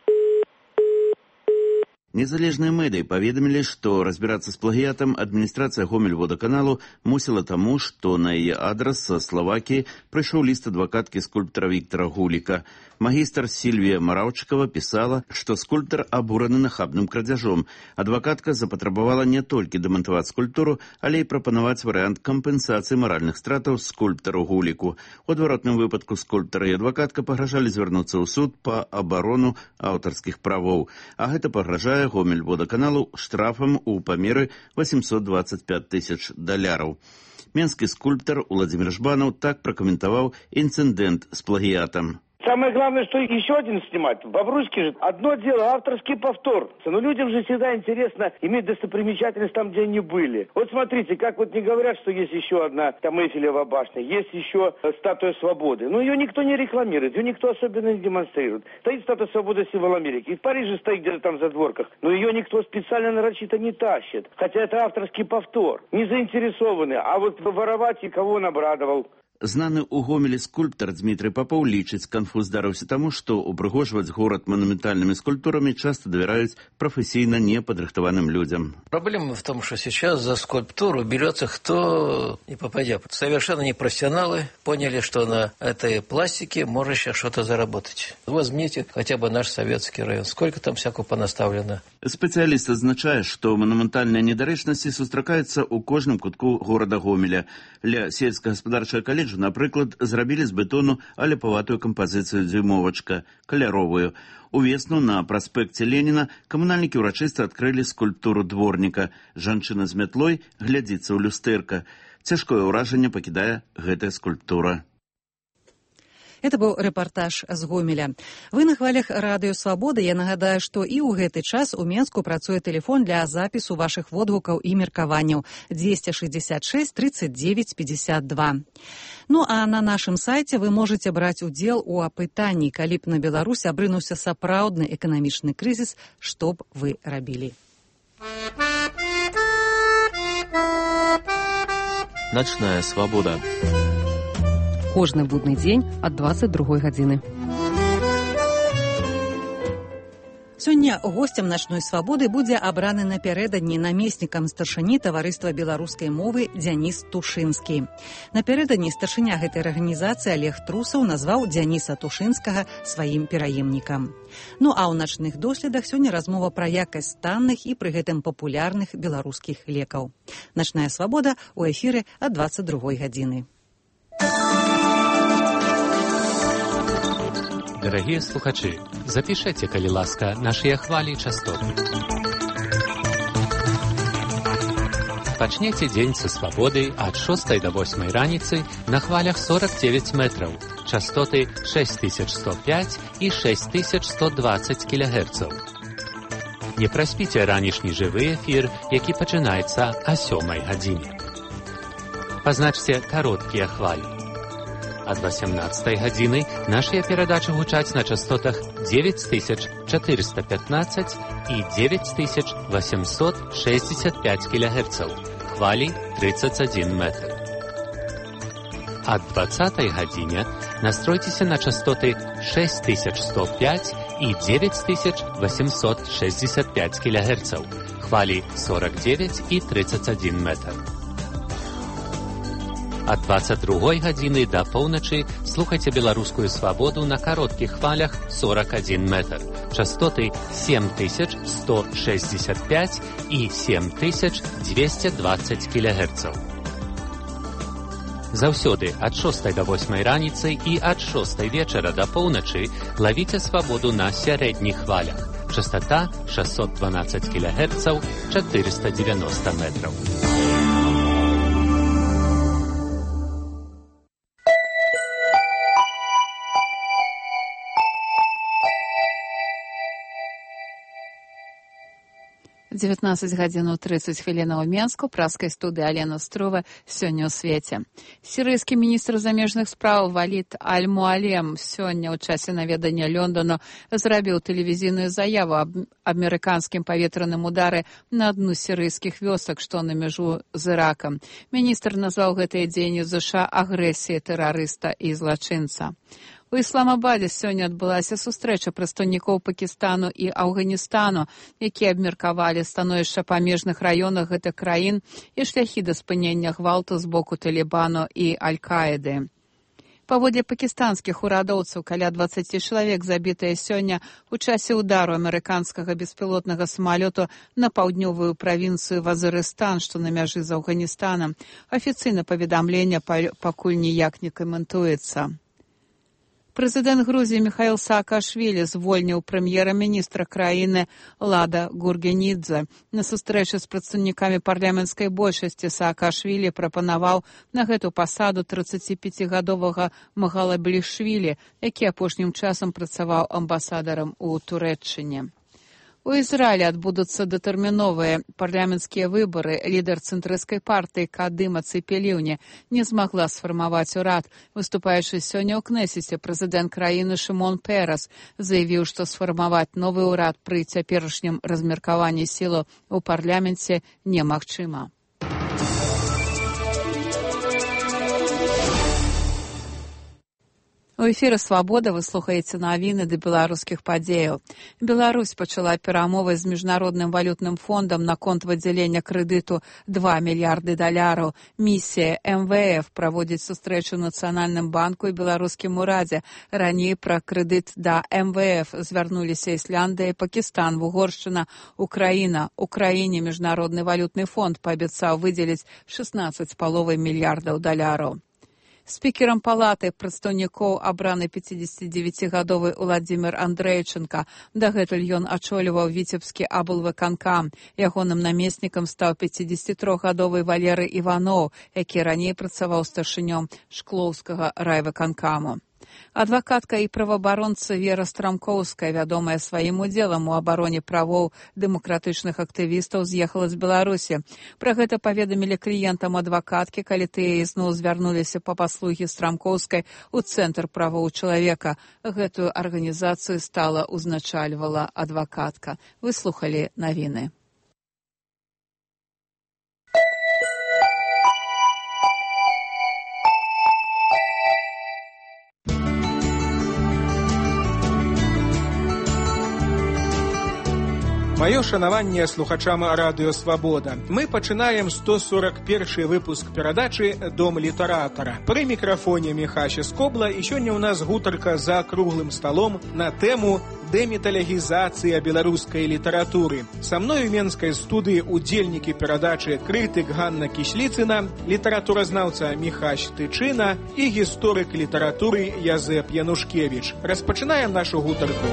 Незалежныя медыі паведамілі, што разбірацца з плагіятам адміністрацыя Гомель-Водаканалу мусіла таму, што на яе адрас са Славакіі прыйшоў ліст адвакаткі скульптара Віктара Гуліка. Магістр Сільвія Мараўчыкава пісала, што скульптар абураны нахабным крадзяжом. Адвакатка запатрабавала не толькі дэмантаваць скульптуру, але і прапанаваць варыянт кампенсацыі маральных стратаў скульптару Гуліку. У адваротным выпадку скульптар і адвакатка пагражалі звярнуцца ў суд па абарону аўтарскіх правоў. А гэта пагражае Гомель-Водаканалу штрафам у памеры $825 000. Менскі скульптар Уладзімір Жбанаў так пракаментаваў інцыдэнт з плагіятам. Самое главное, что еще один снимать. В Бобруйске же одно дело, авторский повтор. Но людям же всегда интересно иметь достопримечательность там, где они были. Вот смотрите, как вот не говорят, что есть еще одна там Эйфелева башня, есть еще статуя свободы. Но ее никто не рекламирует, ее никто особенно не демонстрирует. Стоит статуя свободы, символ Америки. И в Париже стоит где-то там в задворках. Но ее никто специально нарочито не тащит. Хотя это авторский повтор. Не заинтересованы. А вот воровать и кого он обрадовал. Знаны ў Гомелі скульптар Дмітрый Попоў лічыць, канфуз здарыўся таму, што упрыгожваць горад монументальными скульптурами часто доверяют профессийно неподрихтованным людям. Проблема в том, что сейчас за скульптуру берется кто не попадя. Совершенно непрофессионалы поняли, что на этой пластике можно сейчас что-то заработать. Возьмите хотя бы наш советский район. Сколько там всякого понаставлено. Спецыяліст адзначае, што манументальныя недарэчнасці сустракаюцца ў кожным кутку горада Гомеля. Ля сельскагаспадарчага каледжа, напрыклад, зрабілі з бетону аляпаватую кампазіцыю дзюймовачка, каляровую. Увесну на праспекце Леніна камунальнікі ўрачыста адкрылі скульптуру дворніка. Жанчына з мятлой глядзіцца ў люстэрка. Цяжкое ўражанне пакідае гэтая скульптура. Это быў рэпартаж з Гомеля. Вы на хвалях радыё «Свабода». Я нагадаю, што і ў гэты час у Менску працуе тэлефон для запісу вашых водгукаў і меркаванняў 266 39 52. Ну а на нашым сайце вы можаце браць удзел у апытанні, калі б на Беларусь абрынуўся сапраўдны эканамічны крызіс, што б вы рабілі. Начная свабода. Кожны будны дзень ад 22 гадзіны. Сёння госцем начной свабоды будзе абраны напярэдадні намеснікам старшыні таварыства беларускай мовы Дзяніс Тушынскі. Напярэдадні старшыня гэтай арганізацыі Олег Трусаў назваў Дзяніса Тушынскага сваім пераемнікам. Ну а ў начных доследах сёння размова пра якасць танных і пры гэтым папулярных беларускіх лекаў. Начная свабода ў эфіры ад 22 гадзіны. Дорогие слухачи, запишите, калі ласка, наши хвали и частоты. Пачнете день со свободы от 6 до 8 раницы на хвалях 49 метров, частоты 6105 и 6120 кГц. Не проспите ранішні живий ефір, який починається о 7 годині. Позначьте короткие хвали. От 18 годины наши передачи гучаць на частотах 9415 и 9865 кГц, хвали 31 метр. От 20 године настройтесь на частоты 6105 и 9865 кГц, хвали 49 и 31 метр. От 22 годины до полночи слухайте белорусскую свободу на коротких хвалях 41 метр, частоты 7165 и 7220 кГц. Заўсёды от 6 до 8 раницы и от 6 вечера до полночи ловите свободу на средних хвалях, частота 612 кГц, 490 метров. В 19 гадзін 30 хвілінаў Менску праскай студыі Алена Строва сёння ў свеце. Сірыйскі міністр замежных спраў Валід Аль-Муалем сёння ў часе наведання Лондону зрабіў тэлевізійную заяву аб амерыканскім паветраным удары на адну з сірыйскіх вёсак, што на мяжу з Іракам. Міністр назваў гэтыя дзеянні ЗША агрэсіяй тэрарыста і злачынца. У Ісламабадзе сёння адбылася сустрэча прадстаўнікоў Пакістану і Афганістану, якія абмеркавалі становішча памежных раёнах гэтых краін і шляхі да спынення гвалту з боку Талібану і Аль-Каіды. Паводле пакістанскіх урадоўцаў, каля 20 чалавек забітыя сёння ў часе ўдару амерыканскага беспілотнага самалёту на паўднёвую правінцыю Вазырыстан, што на мяжы з Афганістанам. Афіцыйна паведамлення пакуль ніяк не каментуецца. Прэзідэнт Грузіі Міхаіл Саакашвілі звольніў прэм'ера-міністра краіны Лада Гургенідзе. На сустрэчы з прадстаўнікамі парламенцкай большасці Саакашвілі прапанаваў на гэту пасаду 35-гадовага Магалаблішвілі, які апошнім часам працаваў амбасадарам у Турэччыне. У Ізраілі адбудуцца датэрміновыя парламенцкія выбары. Лідар цэнтрысцкай партыі Кадыма Цепеліўне не змагла сфармаваць урад. Выступаючы сёння ў Кнэсеце, прэзідэнт краіны Шымон Перас заявіў, што сфармаваць новы ўрад пры цяперашнім размеркаванні сілаў у парламенце немагчыма. У эфіры «Свабода» вы слухаеце навіны да беларускіх падзеяў. Беларусь пачала перамовы з Міжнародным валютным фондам наконт выдзялення крэдыту $2 мільярды. Місія МВФ праводзіць сустрэчу ў Нацыянальным банку і беларускім урадзе. Раней пра крэдыт да МВФ звярнуліся Ісляндыя, Пакістан, Угоршчына, Украіна. Украіне Міжнародны валютны фонд паабяцаў выдзеліць $16,5 мільярдаў. Спікерам палаты прадстаўнікоў абраны 59-гадовы Уладзімір Андрэйчынка. Дагэтуль ён ачоліваў Віцебскі аблвыканкам. Ягоным намеснікам стаў 53-гадовы Валерый Іваноў, які раней працаваў старшынём Шклоўскага райвыканкаму. Адвакатка і праваабаронца Вера Страмкоўская, вядомая сваім удзелам у абароне правоў дэмакратычных актывістаў, з'ехала з Беларусі. Пра гэта паведамілі кліентам адвакаткі, калі тыя ізноў звярнуліся па паслугі Страмкоўскай у Цэнтр правоў чалавека. Гэтую арганізацыю стала узначальвала адвакатка. Вы слухалі навіны. Маё шанаванне слухачам радыё «Свабода». Мы пачынаем 141 выпуск перадачы «Дом літаратара». Пры мікрафоне Міхася Скобла, і сёння ў нас гутарка за круглым сталом на тэму дэміталогізацыя беларускай літаратуры. Са мной у менскай студыі удзельнікі перадачы крытык Ганна Кісліцына, літаратуразнаўца Міхась Тычына і гісторык літаратуры Язэп Янушкевіч. Распачынаем нашу гутарку.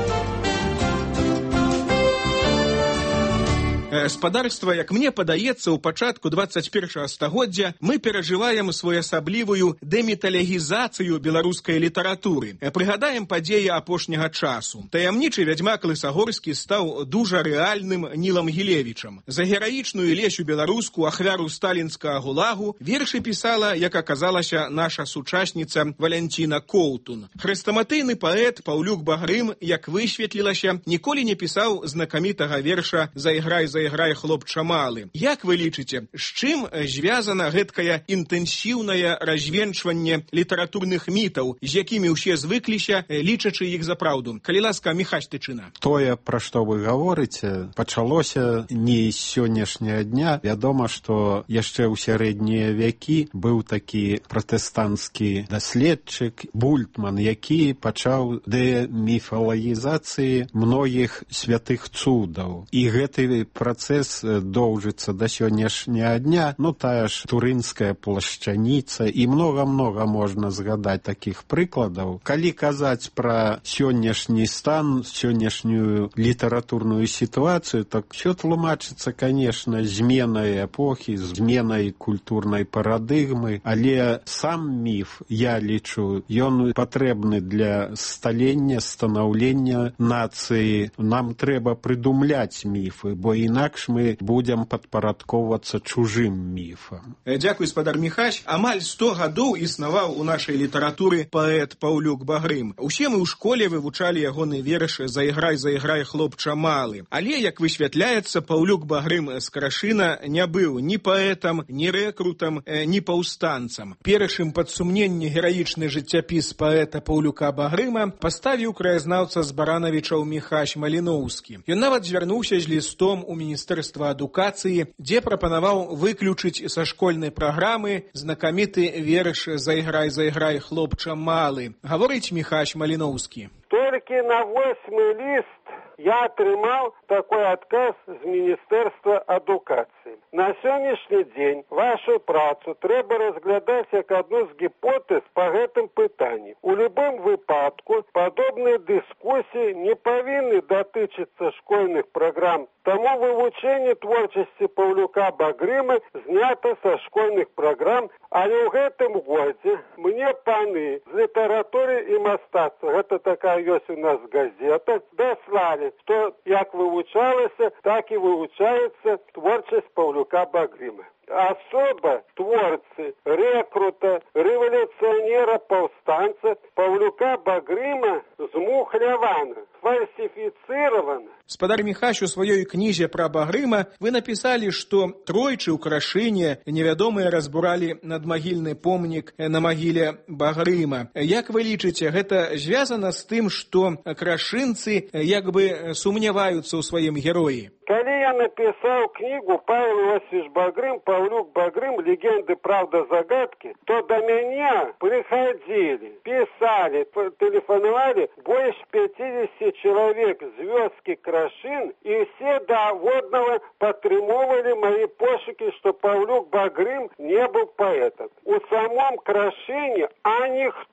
Спадарства, як мне падаецца, у пачатку 21 стагоддзя мы перажываем своеасаблівую дэміталогізацыю беларускай літаратуры. Прыгадаем падзеі апошняга часу. Таямнічы вядзьмак Лысагорскі стаў дужа рэальным Нілам Гілевічам. За гераічную Лесю беларуску, ахвяру сталінскага гулагу, вершы пісала, як аказалася, наша сучасніца Валянціна Коўтун. Хрэстаматыйны паэт Паўлюк Багрым, як высветлілася, ніколі не пісаў знакамітага верша «Зайграй, зайграй, хлопча малы». Як вы лічыце, з чым звязана гэткае інтэнсіўнае развенчванне літаратурных мітаў, з якімі ўсе звыкліся, лічачы іх за праўду? Калі ласка, Міхась Тычына. Тое, пра што вы гаворыце, пачалося не з сённяшняга дня. Вядома, што яшчэ ў сярэднія вякі быў такі пратэстанцкі даследчык Бультман, які пачаў дэміфалагізацыі многіх святых цудаў. І гэты працэс доўжыцца да сённяшняга дня. Ну, тая ж турынская плашчаніца і многа-многа можна згадаць такіх прыкладаў. Калі казаць пра сённяшні стан, сённяшнюю літаратурную сітуацыю, так усё тлумачыцца, конечно, зменай эпохі, зменай культурнай парадыгмы, але сам міф, я лічу, ён патрэбны для сталення, станаўлення нацыі. Нам трэба прыдумляць міфы, бо інакш мы будем падпарадковвацца чужым міфам. Дзякуй, спадар Міхась. Амаль 100 гадоў існаваў у нашай літаратуры паэт Паўлюк Багрым. Усе мы ў школе вывучалі ягоны верш «Зайграй, зайграй, хлопча малы». Але, як высвятляецца, Паўлюк Багрым з Крашына не быў ні паэтам, ні рэкрутам, ні паўстанцам. Першым пад сумненне гераічны жыццяпіс паэта Паўлюка Багрыма паставіў краязнаўца з Баранавічаў Міхась Маліноўскі. Ён нават звярнуўся з лістом у Міністэрства адукацыі, дзе прапанаваў выключыць са школьнай праграмы знакаміты верш «Зайграй, зайграй, хлопча малы». Гаворыць Міхась Маліноўскі. Толькі на 8-й ліст я атрымаў такой адказ з Міністэрства адукацыі. На сённяшні дзень вашу працу трэба разглядаць як адну з гіпотэз па гэтым пытанні. У любым выпадку падобныя дыскусіі не павінны датычыцца школьных праграм, таму вывучэнне творчасці Паўлюка Багрыма знята са школьных праграм, але ў гэтым годзе мне паны з літаратуры і мастацтва, гэта такая ёсць у нас газета, даслалі, што як вывучалася, так і вывучаецца творчасць Паўлюка Багрыма. Особа творцы, рэкрута, рэвалюцыянера, паўстанца Паўлюка Багрыма змухлявана, фальсіфіцыравана. Спадар Міхась, у сваёй кнізе пра Багрыма вы напісалі, што тройчы ў Крашыне невядомыя разбуралі надмагільны помнік на магіле Багрыма. Як вы лічыце, гэта звязана з тым, што крашынцы як бы сумняваюцца ў сваім героі? Калі я напісаў кнігу «Павел Иосифович Багрым, Павлюк Багрым. Легенды, правда, загадки», то до меня приходили, писали, телефоновали больше 50 человек з вёски Крашын, и все до водного падтрымоўвалі мои пошуки, что Павлюк Багрым не был поэтом. У самом Крашыне, а никто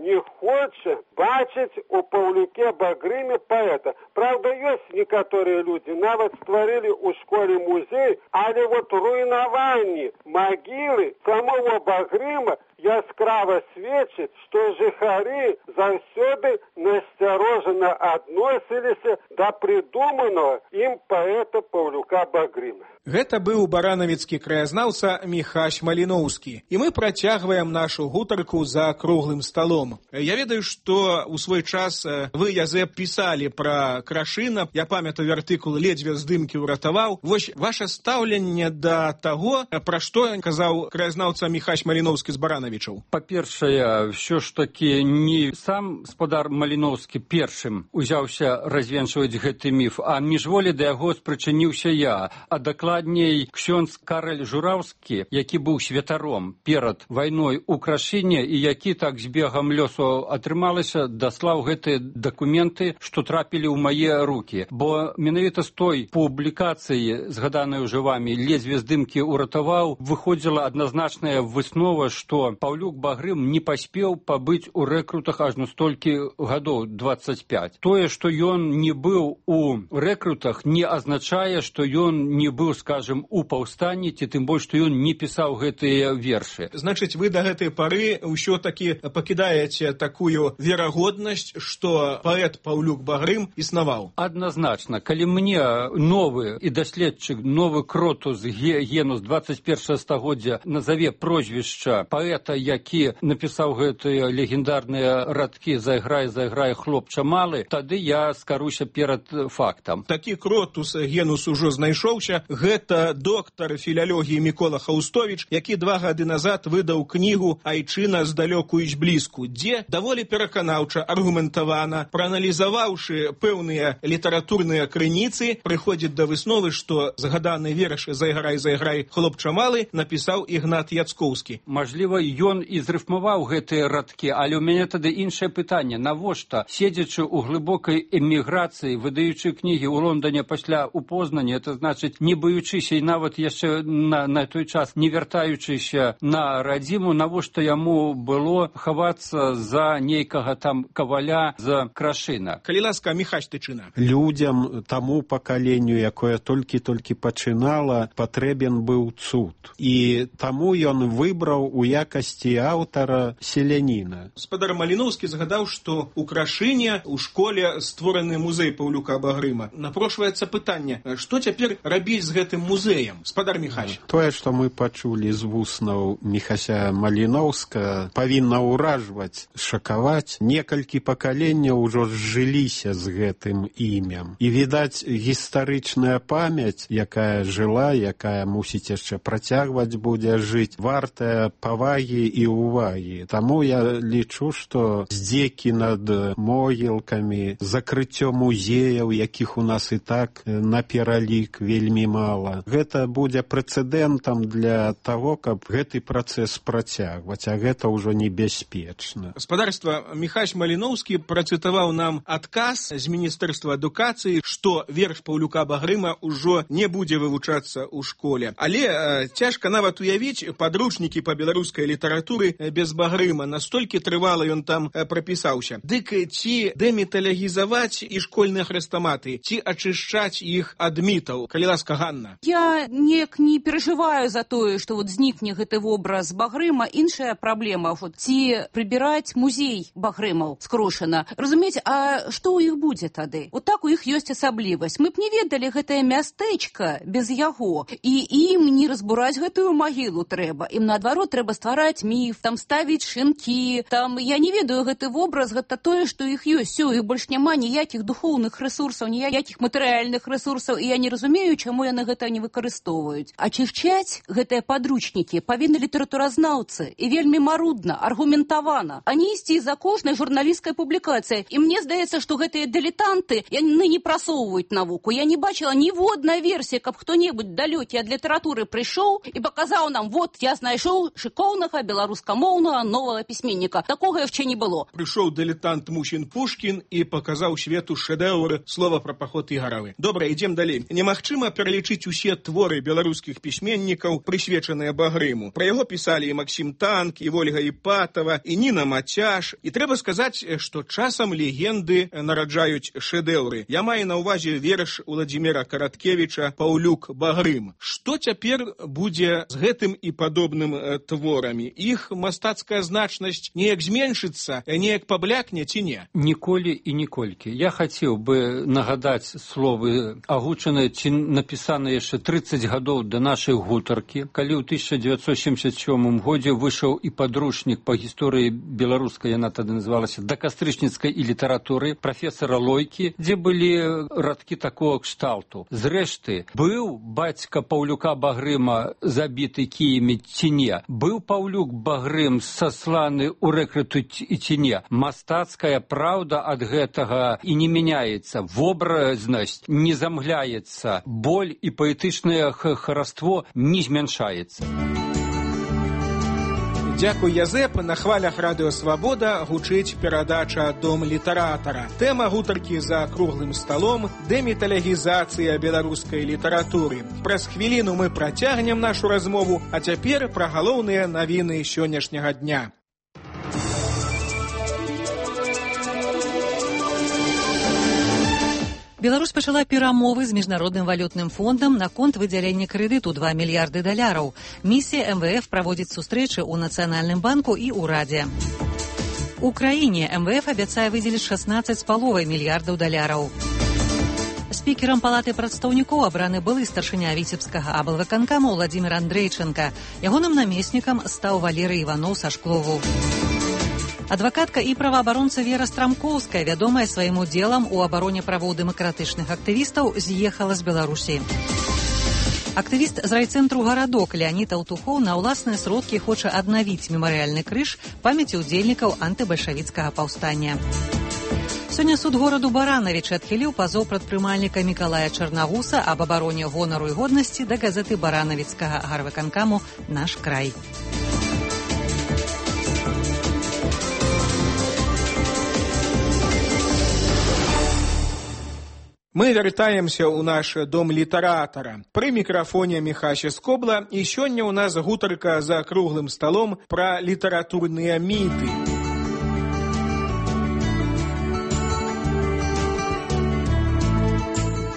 не хочет бачить у Павлюке Багрыме поэта. Правда, есть некоторые люди, нават створили у школе музей, але вот руйнаванне магілы самого Багрыма яскрава сведчыць, што жыхары заўсёды насцярожана адносіліся да прыдуманага ім паэта Паўлюка Багрыма. Гэта быў баранавіцкі краязнаўца Міхась Маліноўскі. І мы працягваем нашу гутарку за круглым сталом. Я ведаю, што што у свой час вы, Язэп, пісалі пра Крашына. Я памятаю артыкул «Ледзьве здымкі ўратаваў». Вось ваше стаўленне да таго, пра што казаў краязнаўца Міхась Маліноўскі з Баранавічаў. Па-першае, ўсё ж такі не сам спадар Маліноўскі першым узяўся развенчваць гэты міф, а міжволі да яго спрычыніўся я, а дакладней ксёндз Караль Жураўскі, які быў святаром перад вайной у Крашыне і які так з бегам лёсу атрымалася, даслаў гэтыя дакументы, што трапілі ў мае рукі. Бо менавіта з той публікацыі, згаданай уже вамі, «Ледзьве здымкі ўратаваў», выходзіла адназначная выснова, што Паўлюк Багрым не паспеў пабыць у рэкрутах ажно столькі гадоў, 25. Тое, што ён не быў у рэкрутах, не азначае, што ён не быў, скажем, у паўстанні, ці тым больш, што ён не пісаў гэтыя вершы. Значыць, вы да гэтай пары ўсё-такі пакідаеце такую верагоднасць, што паэт Паўлюк Багрым існаваў? Адназначна. Калі мне новы і даследчык, новы кротус генус 21 стагоддзя назаве прозвішча паэта, які напісаў гэтыя легендарныя радкі «Зайграй, зайграй, хлопча малы», тады я скаруся перад фактам. Такі кротус генус ужо знайшоўся. Гэта доктар філялогіі Мікола Хаустовіч, які 2 гады назад выдаў кнігу «Айчына здалёку і зблізку», дзе даволі пераканаўча, аргументавана, прааналізаваўшы пэўныя літаратурныя крыніцы, прыходзіць да высновы, што згаданы верш «Зайграй, зайграй, хлопча малы» напісаў Ігнат Яцкоўскі. Мажліва, ён і зрыфмаваў гэтыя радкі, але ў мяне тады іншае пытанне. Навошта, седзячы ў глыбокай эміграцыі, выдаючы кнігі ў Лондоне пасля ў Познані, это значыць, не баючыся і нават яшчэ на той час не вяртаючыся на радзіму, навошта яму было хавацца за нейкага там каваля з Крашына? Калі ласка, Міхась Тычына. Людзям, таму пакаленню, якое толькі-толькі пачынала, патрэбен быў цуд. І таму ён выбраў у якасці аўтара селяніна. Спадар Маліноўскі згадаў, што у Крашыне у школе створаны музей Паўлюка Багрыма. Напрошваецца пытанне, што цяпер рабіць з гэтым музеем? Спадар Міхась. Тое, што мы пачулі з вуснаў Міхася Маліноўска, павінна ўражваць, шакаваць. Некалькі пакаленняў ужо зжыліся з гэтым імем. І, відаць, гістарычная памяць, якая жыла, якая мусіць яшчэ працягваць будзе жыць, вартая павагі і ўвагі. Таму я лічу, што здзекі над могілкамі, закрыццё музеяў, якіх у нас і так на пералік вельмі мала, гэта будзе прэцэдэнтам для таго, каб гэты працэс працягваць, а гэта ўжо небяспечна. Спадарства, Міхась Маліноўскі працытаваў нам адказ з Міністэрства адукацыі, што верш Паўлюка Багрыма ўжо не будзе вывучацца ў школе. Але цяжка нават уявіць падручнікі па беларускай літаратуры без Багрыма. Настолькі трывала ён там прапісаўся. Дык ці дэміталягізаваць і школьныя хрэстаматы, ці ачышчаць іх ад мітаў? Калі ласка, Ганна. Я неяк не перажываю за тое, што знікне гэты вобраз Багрыма. Іншая праблема, ці прыбіраць музей Багрымаў з Крушына. Разумееце, а што ў іх будзе тады? Так у іх ёсць асаблівасць. Мы б не ведалі гэтае мястэчка без яго. І ім не разбураць гэтую магілу трэба. Ім, наадварот, трэба ствараць міф, там ставіць шынкі. Там, я не ведаю, гэты вобраз, гэта тое, што іх ёсць. У іх больш няма ніякіх духоўных рэсурсаў, ніякіх матэрыяльных рэсурсаў, і я не разумею, чаму яны гэта не выкарыстоўваюць. Ачышчаць гэтыя падручнікі павінны літаратуразнаўцы, і вельмі марудна, аргументавана, а не ісці за кожнай журналісцкай публікацыяй. І мне здаецца, што гэтыя дылетанты яны не прасоўваюць навуку. Я не бачыла ніводнай версіі, каб хто-небудзь далёкі ад літаратуры прыйшоў і паказаў нам, вот, я знайшоў шыкоўнага беларускамоўнага новага пісьменніка. Такога яшчэ не было. Прыйшоў дылетант Мусін Пушкін і паказаў свету шэдэўры «Слова пра паход Ігаравы». Добра, ідзем далей. Немагчыма пералічыць усе творы беларускіх пісьменнікаў, прысвечаныя Багрыму. Пра яго пісалі і Максім Танк, і Вольга Іпатава, і Ніна Мацяш. І трэба сказаць, што часам легенды нараджаюць шэдэўры. Я маю на ўвазе верш Уладзіміра Караткевіча «Паўлюк Багрым». Што цяпер будзе з гэтым і падобным творамі? Іх мастацкая значнасць неяк зменшыцца, неяк паблякне ці не? Ніколі і ніколькі. Я хацеў бы нагадаць словы агучаныя ці напісаныя яшчэ 30 гадоў да нашай гутаркі, калі ў 1977 годзе выйшаў і падручнік па гісторыі беларускай, яна тады называлася называлася «Да кастрычніцкай і літаратуры» прафесара Лойкі, дзе былі радкі такого кшталту. Зрэшты, быў бацька Паўлюка Багрыма забіты кіямі ці не? Быў Паўлюк Багрым сасланы ў рэкруту ці не? Мастацкая праўда ад гэтага і не мяняецца, вобразнасць не замгляецца, боль і паэтычнае хараство не змяншаецца. Дзякуй, Язэп. На хвалях радыё «Свабода» гучыць перадача «Дом літаратара». Тэма гутаркі за круглым сталом – дэміталягізацыя беларускай літаратуры. Праз хвіліну мы працягнем нашу размову, а цяпер пра галоўныя навіны сённяшняга дня. Беларусь пачала перамовы з міжнародным валютным фондам наконт выдзялення крэдыту $2 мільярды. Місія МВФ праводзіць сустрэчы ў Нацыянальным банку і ўрадзе. У краіне МВФ абяцае выдзеліць $16,5 мільярдаў. Спікерам палаты прадстаўнікоў абраны былы старшыня віцебскага аблвыканкама Владзімір Андрэйчанка. Ягоным намеснікам стаў Валерый Іваноў са Шклову. Адвакатка і праваабаронца Вера Страмкоўская, вядомая сваім удзелам у абароне правоў дэмакратычных актывістаў, з'ехала з Беларусі. Актывіст з райцэнтру «Гарадок» Леонід Аўтухоў на ўласныя сродкі хоча аднавіць мемарыяльны крыж памяці ўдзельнікаў антыбальшавіцкага паўстання. Сёння суд гораду Баранавіч адхіліў пазоў прадпрымальніка Мікалая Чарнагуса аб абароне гонару і годнасці да газеты баранавіцкага гарвыканкаму «Наш край». Мы вяртаемся ў наш дом літаратара. Пры мікрафоне Міхася Скобла, і сёння ў нас гутарка за круглым сталом пра літаратурныя міты.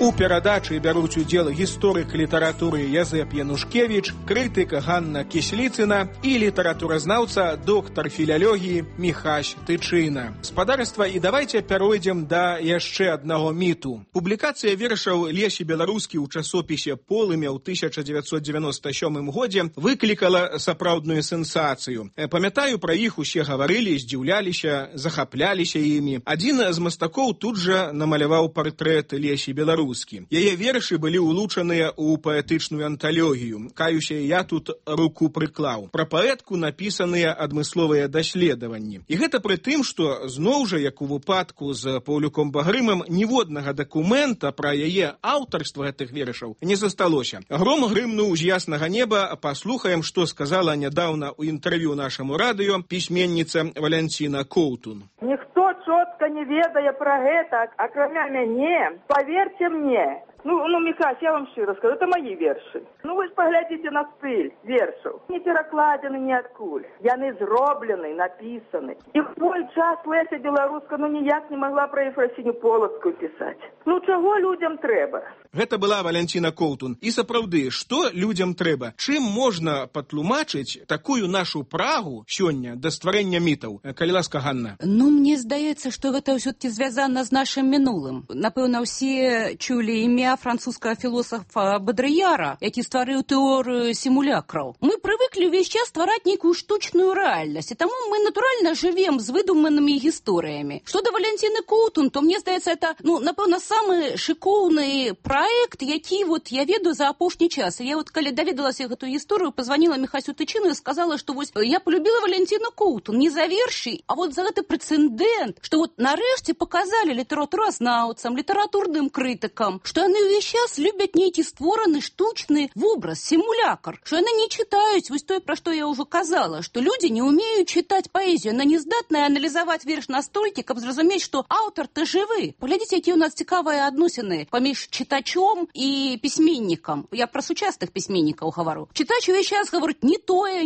У перадачы бяруць удзел гісторык літаратуры Язэп Янушкевіч, крытык Ганна Кісліцына і літаратуразнаўца, доктар філялогіі Міхась Тычына. Спадарства, і давайце пяройдзем да яшчэ аднаго міту. Публікацыя вершаў Лесі Беларускі ў часопісе «Полымя» ў 1997 годзе выклікала сапраўдную сенсацыю. Памятаю, пра іх усе гаварылі, здзіўляліся, захапляліся імі. Адзін з мастакоў тут жа намаляваў партрэт Лесі Беларускі. Яе вершы былі улучаныя ў паэтычную анталогію. Каюся, я тут руку прыклаў. Пра паэтку напісаныя адмысловыя даследаванні. І гэта пры тым, што зноў жа, як у выпадку з Паўлюком Багрымам, ніводнага дакумента пра яе аўтарства гэтых вершаў не засталося. Гром грымнуў з яснага неба. Паслухаем, што сказала нядаўна ў інтэрв'ю нашаму радыё пісьменніца Валянціна Коўтун. Ніхто чётка не ведае пра гэта, акрамя мяне. Паверце мне. Міхась, я вам шчыра скажу, это мои вершы. Вы ж паглядзіце на стыль вершаў. Не перакладзены ніадкуль. Яны зроблены, напісаны. І в той час Леся Беларуска ніяк не могла пра Ефрасіню Полацкую пісаць. Чаго людзям трэба? Гэта была Валянціна Коўтун. І сапраўды, што людзям трэба? Чым можна патлумачыць такую нашу прагу сёння да стварэння мітаў? Калі ласка, Ганна. Мне здаецца, што гэта ўсё-таки звязана з нашым мінулым. Напэўна, ўсе чулі імя французскага філосафа Бодрыяра, які стварыў тэорыю сімулякраў. Мы прывыклі ўвесь час ствараць нейкую штучную рэальнасць, і таму мы натуральна жывем з выдуманымі гісторыямі. Што да Валянціны Коўтун, то мне здаецца, это, напэўна, самы шыкоўны праект, які я ведаю за апошні час. Я калі даведалася гэту гісторыю, пазваніла Міхасю Тычыну і сказала, што я полюбіла Валянціну Коўтун не за вершы, а за гэты прэцэдэнт, што нарэшце паказалі літаратуразнаўцам, літаратурным крытыкам, што яны ўвесь час любяць нейкі створаны штучны вобраз, сімулякр, што яны не чытаюць тое, пра што я ўжо казала, што людзі не ўмеюць чытаць паэзію, яна не здатная аналізаваць верш настолькі, каб зразумець, што аўтар-то жывы. Паглядзіце, якія ў нас цікавыя адносіны паміж чытачом і пісьменнікам. Я пра сучасных пісьменнікаў гавару. Чытач увесь час гаворыць не тое,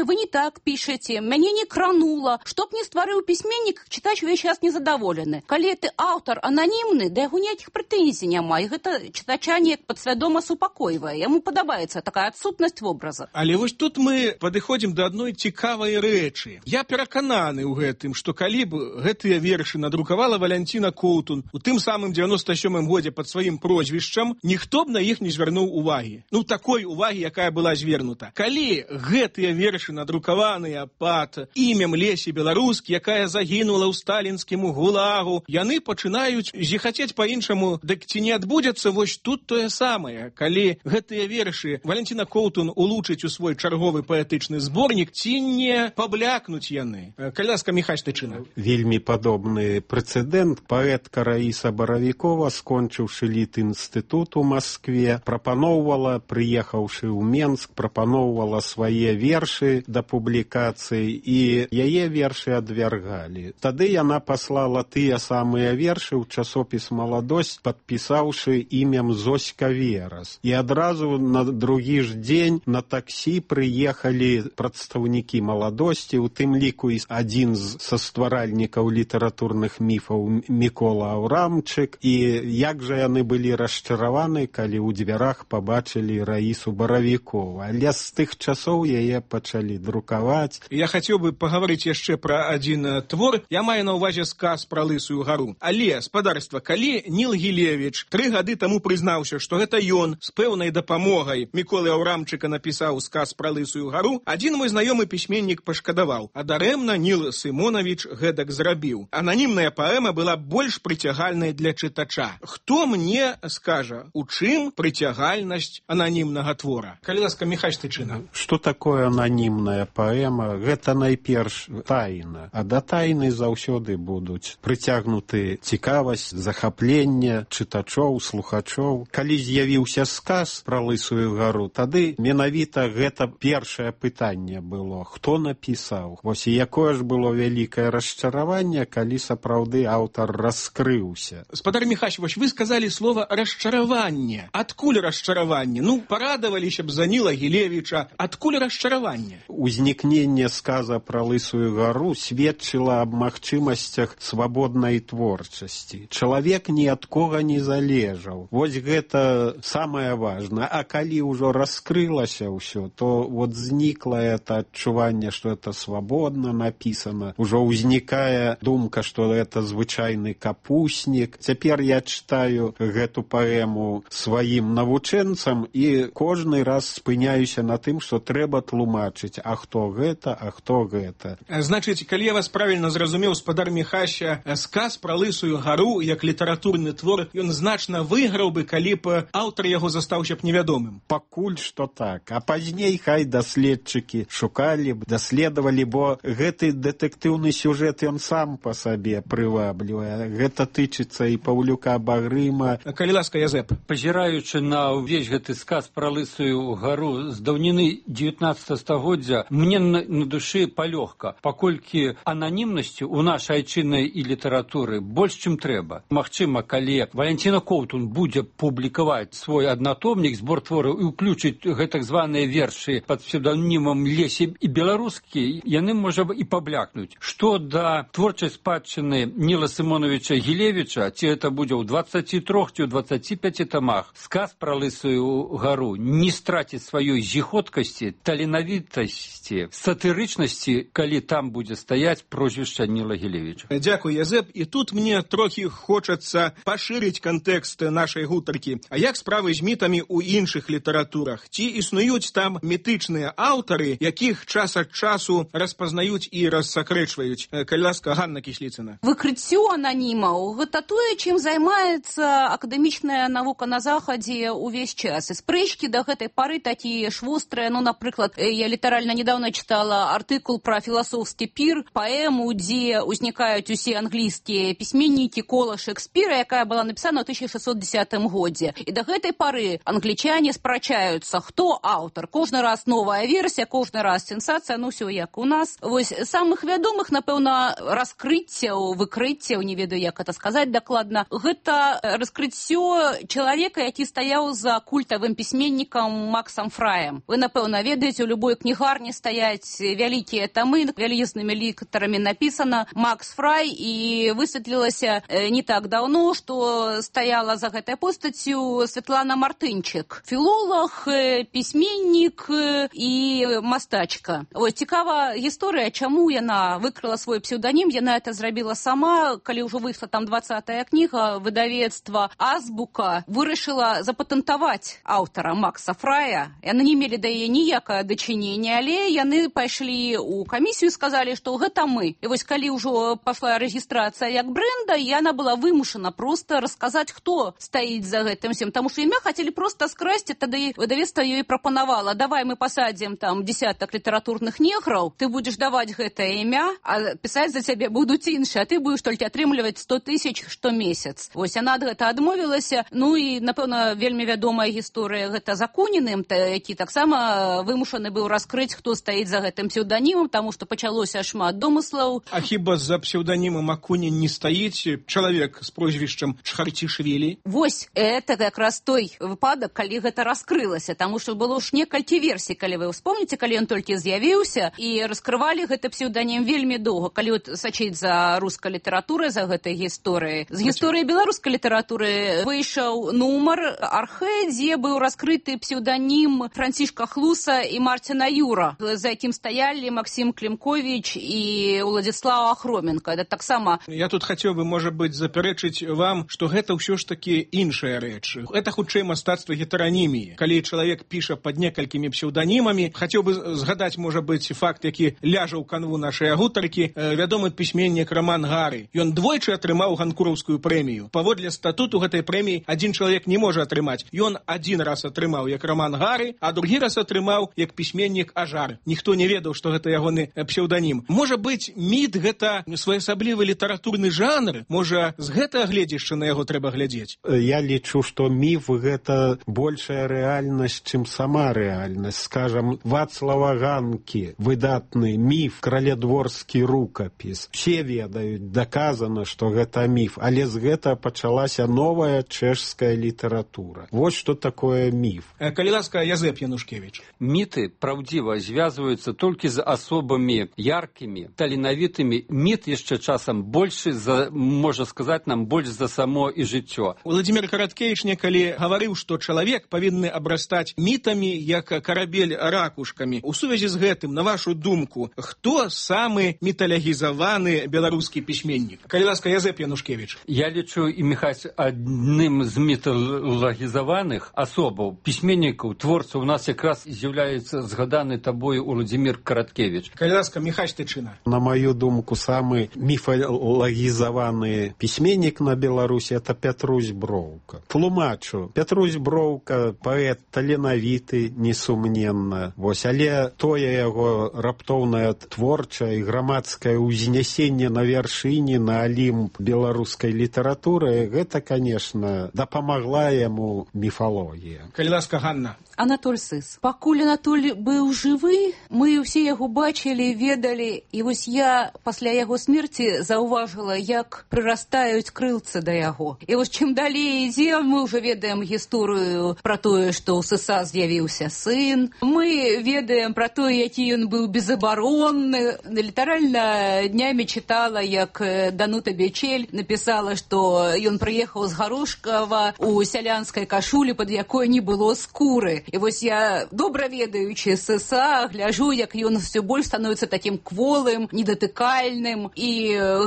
вы не так пішаце, мяне не кранула. Што б не стварыў пісьменнік, чытач увесь час незадаволены. Калі ты аўтар ананімны, да яго ніякіх прэтэнзій няма, і гэта чытача неяк падсвядома супакойвае. Яму падабаецца такая адсутнасць вобраза. Але Але вось тут мы падыходзім да адной цікавай рэчы. Я перакананы ў гэтым, што калі б гэтыя вершы надрукавала Валянціна Коўтун у тым самым 97-м годзе пад сваім прозвішчам, ніхто б на іх не звярнуў увагі. Ну, такой увагі, якая была звернута. Калі гэтыя вершы надрукаваныя пад імем Лесі Беларускі, якая загінула ў сталінскім гулагу, яны пачынаюць зіхацець па-іншаму, дык ці не адбудзецца вось тут тое самае. Калі гэтыя вершы Валянціна Коўтун улучыць у свой чарговы паэтычны зборнік, ці не паблякнуць яны? Калі ласка, Міхась Тычына. Вельмі падобны прэцэдэнт. Паэтка Раіса Баравікова, скончыўшы Літінстытут у Маскве, прапаноўвала, прыехаўшы ў Менск, прапаноўвала свае вершы да публікацыі, і яе вершы адвяргалі. Тады яна паслала тыя самыя вершы ў часопіс «Маладосць», падпісаўшы імем Зоська Верас. І адразу на другі ж дзень на таксі прыехалі прадстаўнікі «Маладосці», у тым ліку і адзін са стваральнікаў літаратурных міфаў Мікола Аўрамчык. І як жа яны былі расчараваны, калі ў дзвярах пабачылі Раісу Баравікову. Але з тых часоў яе пачалі друкаваць. Я хацеў бы пагаварыць яшчэ пра адзін твор. Я маю на ўвазе сказ пра Лысую гару. Але, спадарства, калі Ніл Гілевіч 3 гады таму прызнаўся, што гэта ён з пэўнай дапамогай Міколы Аўрамчыка напісаў сказ пра Лысую гару, адзін мой знаёмы пісьменнік пашкадаваў, а дарэмна Ніл Сымонавіч гэтак зрабіў. Ананімная паэма была больш прыцягальнай для чытача. Хто мне скажа, у чым прыцягальнасць ананімнага твора? Калі ласка, Міхась Тычына. Што такое ананімная паэма? Гэта найперш тайна. А да тайны заўсёды будуць прыцягнуты цікавасць, захапленне чытачоў, слухачоў. Калі з'явіўся сказ пра Лысую гару, тады менавіта гэта першае пытанне было. Хто напісаў? Вось і якое ж было вялікае расчараванне, калі сапраўды аўтар раскрыўся. Спадар Міхась, вось вы сказалі слова расчараванне. Адкуль расчараванне? Ну, парадаваліся б за Ніла Гілевіча. Адкуль расчараванне? Узнікненне сказа пра Лысую гару сведчыла аб магчымасцях свабоднай творчасці. Чалавек ні ад кога не залежаў. Вось гэта самае важнае. А калі ўжо раскрылася ўсё, то вот знікла это адчуванне, што это свабодна напісана. Ужо ўзнікае думка, што это звычайны капуснік. Цяпер я чытаю гэту паэму сваім навучэнцам і кожны раз спыняюся на тым, што трэба тлумачыць, а хто гэта, а хто гэта. Значыць, калі я вас правільна зразумеў, спадар Міхася, сказ пра Лысую гару як літаратурны твор, ён значна выйграў бы, калі б аўтар яго застаўся б невядомым. Пакуль што так. А пазней хай даследчыкі шукалі б, даследавалі, бо гэты дэтэктыўны сюжэт ён сам па сабе прываблівае. Гэта тычыцца і Паўлюка Багрыма. Калі ласка, Язэп. Пазіраючы на ўвесь гэты сказ пра Лысую гару з даўніны 19 стагоддзя, мне на душы палёгка, паколькі ананімнасцю ў нашай айчыннай і літаратуры больш, чым трэба. Магчыма, калі Валянціна Коўтун будзе публікаваць свой аднатомнік, збор твораў і ўключыць гэтак званыя вершы пад псевданімам Лесі і Беларускі, яны, можа, і паблякнуць. Што да творчай спадчыны Ніла Сымоновича Гілевіча, ці это будзе ў 23 ці ў 25 тамах, сказ пра Лысую гару не страціць сваёй зіходкасці, таленавітасці, сатырычнасці, калі там будзе стаяць прозвішча Ніла Гілевіча. Дзякуй, Язэп. І тут мне трохі хочацца пашырыць кантэкст нашай гутаркі. А як справы з мітамі ў іншых літаратурах? Ці існуюць там мітычныя аўтары, якіх час ад часу распазнаюць і рассакрэчваюць? Калі ласка, Ганна Кісліцына. Выкрыццё ананімаў — гэта тое, чым займаецца акадэмічная навука на Захадзе ўвесь час. І спрэчкі да гэтай пары такія ж вострыя. Ну, напрыклад, я літаральна недавно чытала артыкул пра філасофскі пір, паэму, дзе ўзнікаюць усе англійскія пісьменнікі кола Шекспіра, якая была напісана ў 1610 годзе. І да гэтай пары англічане спрачаюцца, хто аўтар. Кожны раз новая версія, кожны раз сенсацыя, ну ўсё як у нас. Вось самых вядомых, напэўна, раскрыццяў, выкрыццяў, не ведаю, як это сказаць дакладна, гэта раскрыццё чалавека, які стаяў за культавым пісьменнікам Максам Фраем. Вы, напэўна, ведаеце, у любой кнігарні стаяць вялікія тамы, вялізнымі літарамі напісана Макс Фрай, і высветлілася не так даўно, што стаяла за гэтай постаццю Светлана Мартынчык. Філолог, пісьменнік, пісьменнік і мастачка. Ось цікава гісторыя, чаму яна выкрыла свой псевданім. Яна это зрабіла сама, калі ўжо выйшла там 20-я кніга, выдавецтва Азбука вырашыла запатэнтаваць аўтара Макса Фрая. Яны не мелі да яе ніякае дачынення, але яны пайшлі ў камісію і сказалі, што гэта мы. І вось калі ўжо пашла рэгістрацыя як бренда, яна была вымушана проста расказаць, хто стаіць за гэтым всем. Таму што імя хацелі проста скрасці, тады выдавецтва ёй прапанавала: давай мы пасадзім там десятак літаратурных неграў, ты будзеш даваць гэтае імя, а пісаць за цябе будуць іншыя, а ты будзеш толькі атрымліваць 100 000 штомесяц. Вось яна ад гэта адмовілася. Ну і, напэўна, вельмі вядомая гісторыя гэта з Акуніним, які таксама вымушаны быў раскрыць, хто стаіць за гэтым псевданімам, таму што пачалося шмат домыслаў. А хіба за псевданімам Акунін не стаіць чалавек з прозвішчам Чхарчішвілі? Вось, это якраз той выпадак, калі гэта раскрылася, таму што было ж некалькі версій, калі вы вспомніце, калі ён толькі з'явіўся, і раскрывалі гэты псевданім вельмі доўга. Калі от сачыць за рускай літаратурай, за гэтай гісторыяй. З гісторыі беларускай літаратуры выйшаў нумар «Архэ», дзе быў раскрыты псевданім Францішка Хлуса і Марціна Юра, за якім стаялі Максим Клімкович і Уладзіслав Ахроменко. Это таксама... Я тут хацеў бы, можа быць, запярэчыць вам, што гэта ўсё ж такі іншая рэч. Это хутчэй мастацтва гетераніміі. Калі чалавек піша пад некалькімі псеўданімамі, хацеў бы згадаць, можа быць, факт, які ляжа ў канву нашай гутаркі, вядомы пісьменнік Роман Гары. Ён двойчы атрымаў ганкураўскую прэмію. Паводле статуту гэтай прэміі адзін чалавек не можа атрымаць. Ён адзін раз атрымаў як Роман Гары, а другі раз атрымаў як пісьменнік Ажар. Ніхто не ведаў, што гэта ягоны псеўданім. Можа быць, міт гэта своеасаблівы літаратурны жанр? Можа, з гэтага гледзяшча на яго трэба глядзець? Я лічу, што міф гэта большая рэальнасць, чым сама рэальнасць. Скажам, Вацлава Ганкі, выдатны міф, краледворскі рукапіс. Все ведаюць, даказана, што гэта міф, але з гэта пачалася новая чэшская літаратура. Вось што такое міф. Калі ласка, Язэп Янушкевич. Міты, праўдзіва, звязваюцца толькі з асобамі яркімі, таленавітымі. Міт яшчэ часам большы, можа сказаць нам, больш за само і жыццё. Владимир Караткевич некалі гаварыў, што чалавек павінны абрастаць мітамі, як карабель ракушкамі. У сувязі з гэтым, на вашу думку, хто самы міталогізаваны беларускі пісьменнік? Калі ласка, Язэп Янушкевич. Я лічу і Міхась адным з міталагізаваных асобаў, пісьменнікаў, творцаў у нас якраз з'яўляецца згаданы табою Владимир Караткевич. Калі ласка, Міхась Тычына. На маю думку, самы міфалагізаваны пісьменнік на Беларусі это Пятрусь Броўка. Тлумачу, Пятрусь Броўка паэт таленавіты, несумненна. Вось, але тое яго раптоўнае творчае і грамадскае ўзнясенне на вяршыні, на алімп беларускай літаратуры, гэта, конечно, дапамагла яму міфалогія. Калі ласка, Ганна. Анатоль Сыс. Пакуль Анатоль быў жывы, мы ўсе яго бачылі, ведалі, і вось я пасля яго смерці заўважыла, як прырастаюць крылцы да яго. І вось чым далей ідзе, мы ўжо ведаем гісторыю пра тое, што ў Сыса з'явіўся сын. Мы ведаем пра тое, які ён быў безабаронны. Літаральна днямі чытала, як Данута Бечель напісала, што ён прыехаў з Гарошкава у сялянскай кашулі, пад якой не было скуры. І вось я, добра ведаючы Сыса, гляжу, як ён все больш становіцца такім кволым, недатыкальным, і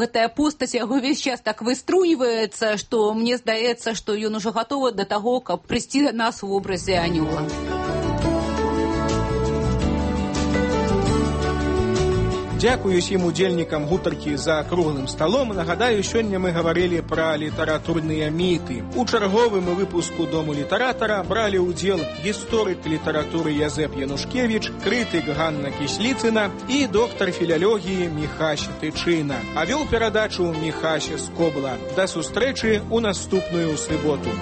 гэтая постаць яго весь час так выструйваецца, што мне здаецца, што ён ужо гатовы да таго, каб прыйсці да нас у вобразе анёла. Дзякую усім удзельнікам гутаркі за круглым сталом. Нагадаю, сёння мы гаварылі пра літаратурныя міты. У чарговым выпуску Дому літаратара бралі ўдзел гісторык літаратуры Язэп Янушкевич, крытык Ганна Кісліцына і доктар філялогіі Міхась Тычына. А вёў перадачу Міхась Скобла. Да сустрэчы ў наступную суботу.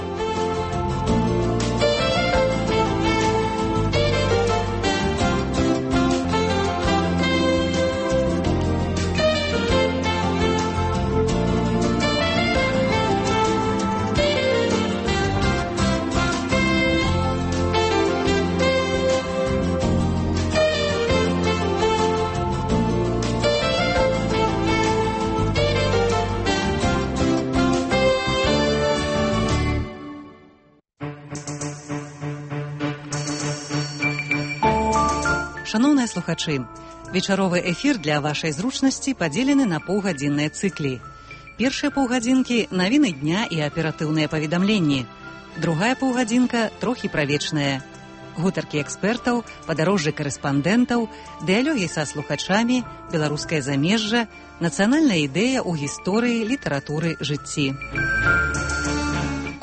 Шаноўныя слухачы, вечаровы эфір для вашай зручнасці падзелены на паўгадзінныя цыклі. Першыя паўгадзінкі – навіны дня і аператыўныя паведамленні. Другая паўгадзінка – трохі пра вечнае. Гутаркі экспертаў, падарожжы карэспандэнтаў, дыялогі са слухачамі, беларускае замежжа, нацыянальная ідэя ў гісторыі, літаратуры, жыцці.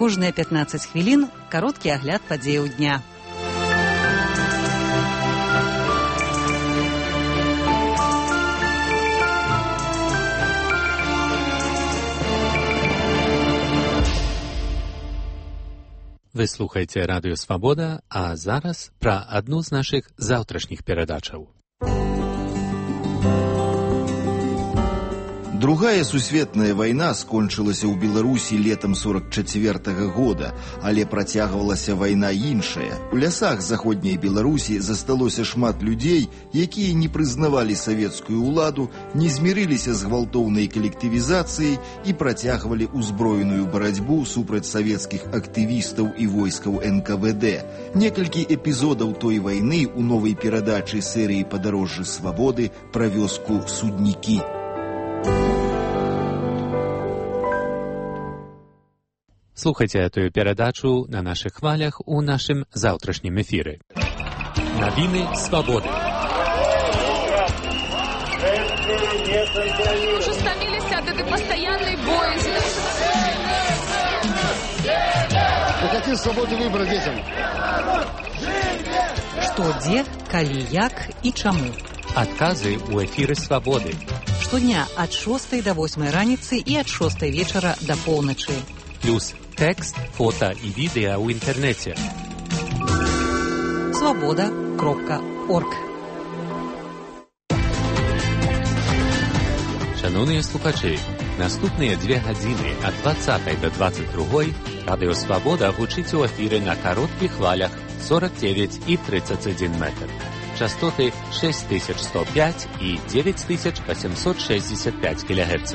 Кожныя 15 хвілін кароткі агляд падзеяў дня. Вы слухаеце Радыё Свабода, а зараз пра адну з нашых заўтрашніх перадачаў. Другая сусветная вайна скончылася ў Беларусі летам 44-го года, але працягвалася вайна іншая. У лясах заходняй Беларусі засталося шмат людзей, якія не прызнавалі савецкую ўладу, не змірыліся з гвалтоўнай калектывізацыяй і працягвалі ўзброеную барацьбу супраць савецкіх актывістаў і войскаў НКВД. Некалькі эпізодаў той вайны ў новай перадачы серыі «Падарожжы свабоды» пра вёску Суднікі. Слухайце эту перадачу на нашых хвалях у нашым заўтрашнім эфіры. Навіны свабоды. Уже стаміліся ад этой пастаяннай боязі. Мы хотим свободы выбора детям. Што, дзе, калі, як і чаму. Адказы ў эфіры свабоды. Штодня ад 6 до 8 раніцы і ад 6 вечара да поўначы. Плюс тэкст, фота і відэа ў інтэрнэце. Свабода.орг. Шановныя слухачы, наступныя 2 гадзіны ад 20 до 22 Радыё Свабода гучыць у эфіры на кароткіх хвалях 49 і 31 метр. Частоты 6105 і 9865 кГц,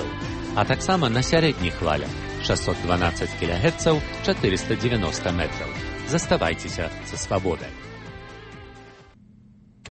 а таксама на сярэдніх хвалях 612 кГц, 490 метраў. Заставайцеся са свабодай.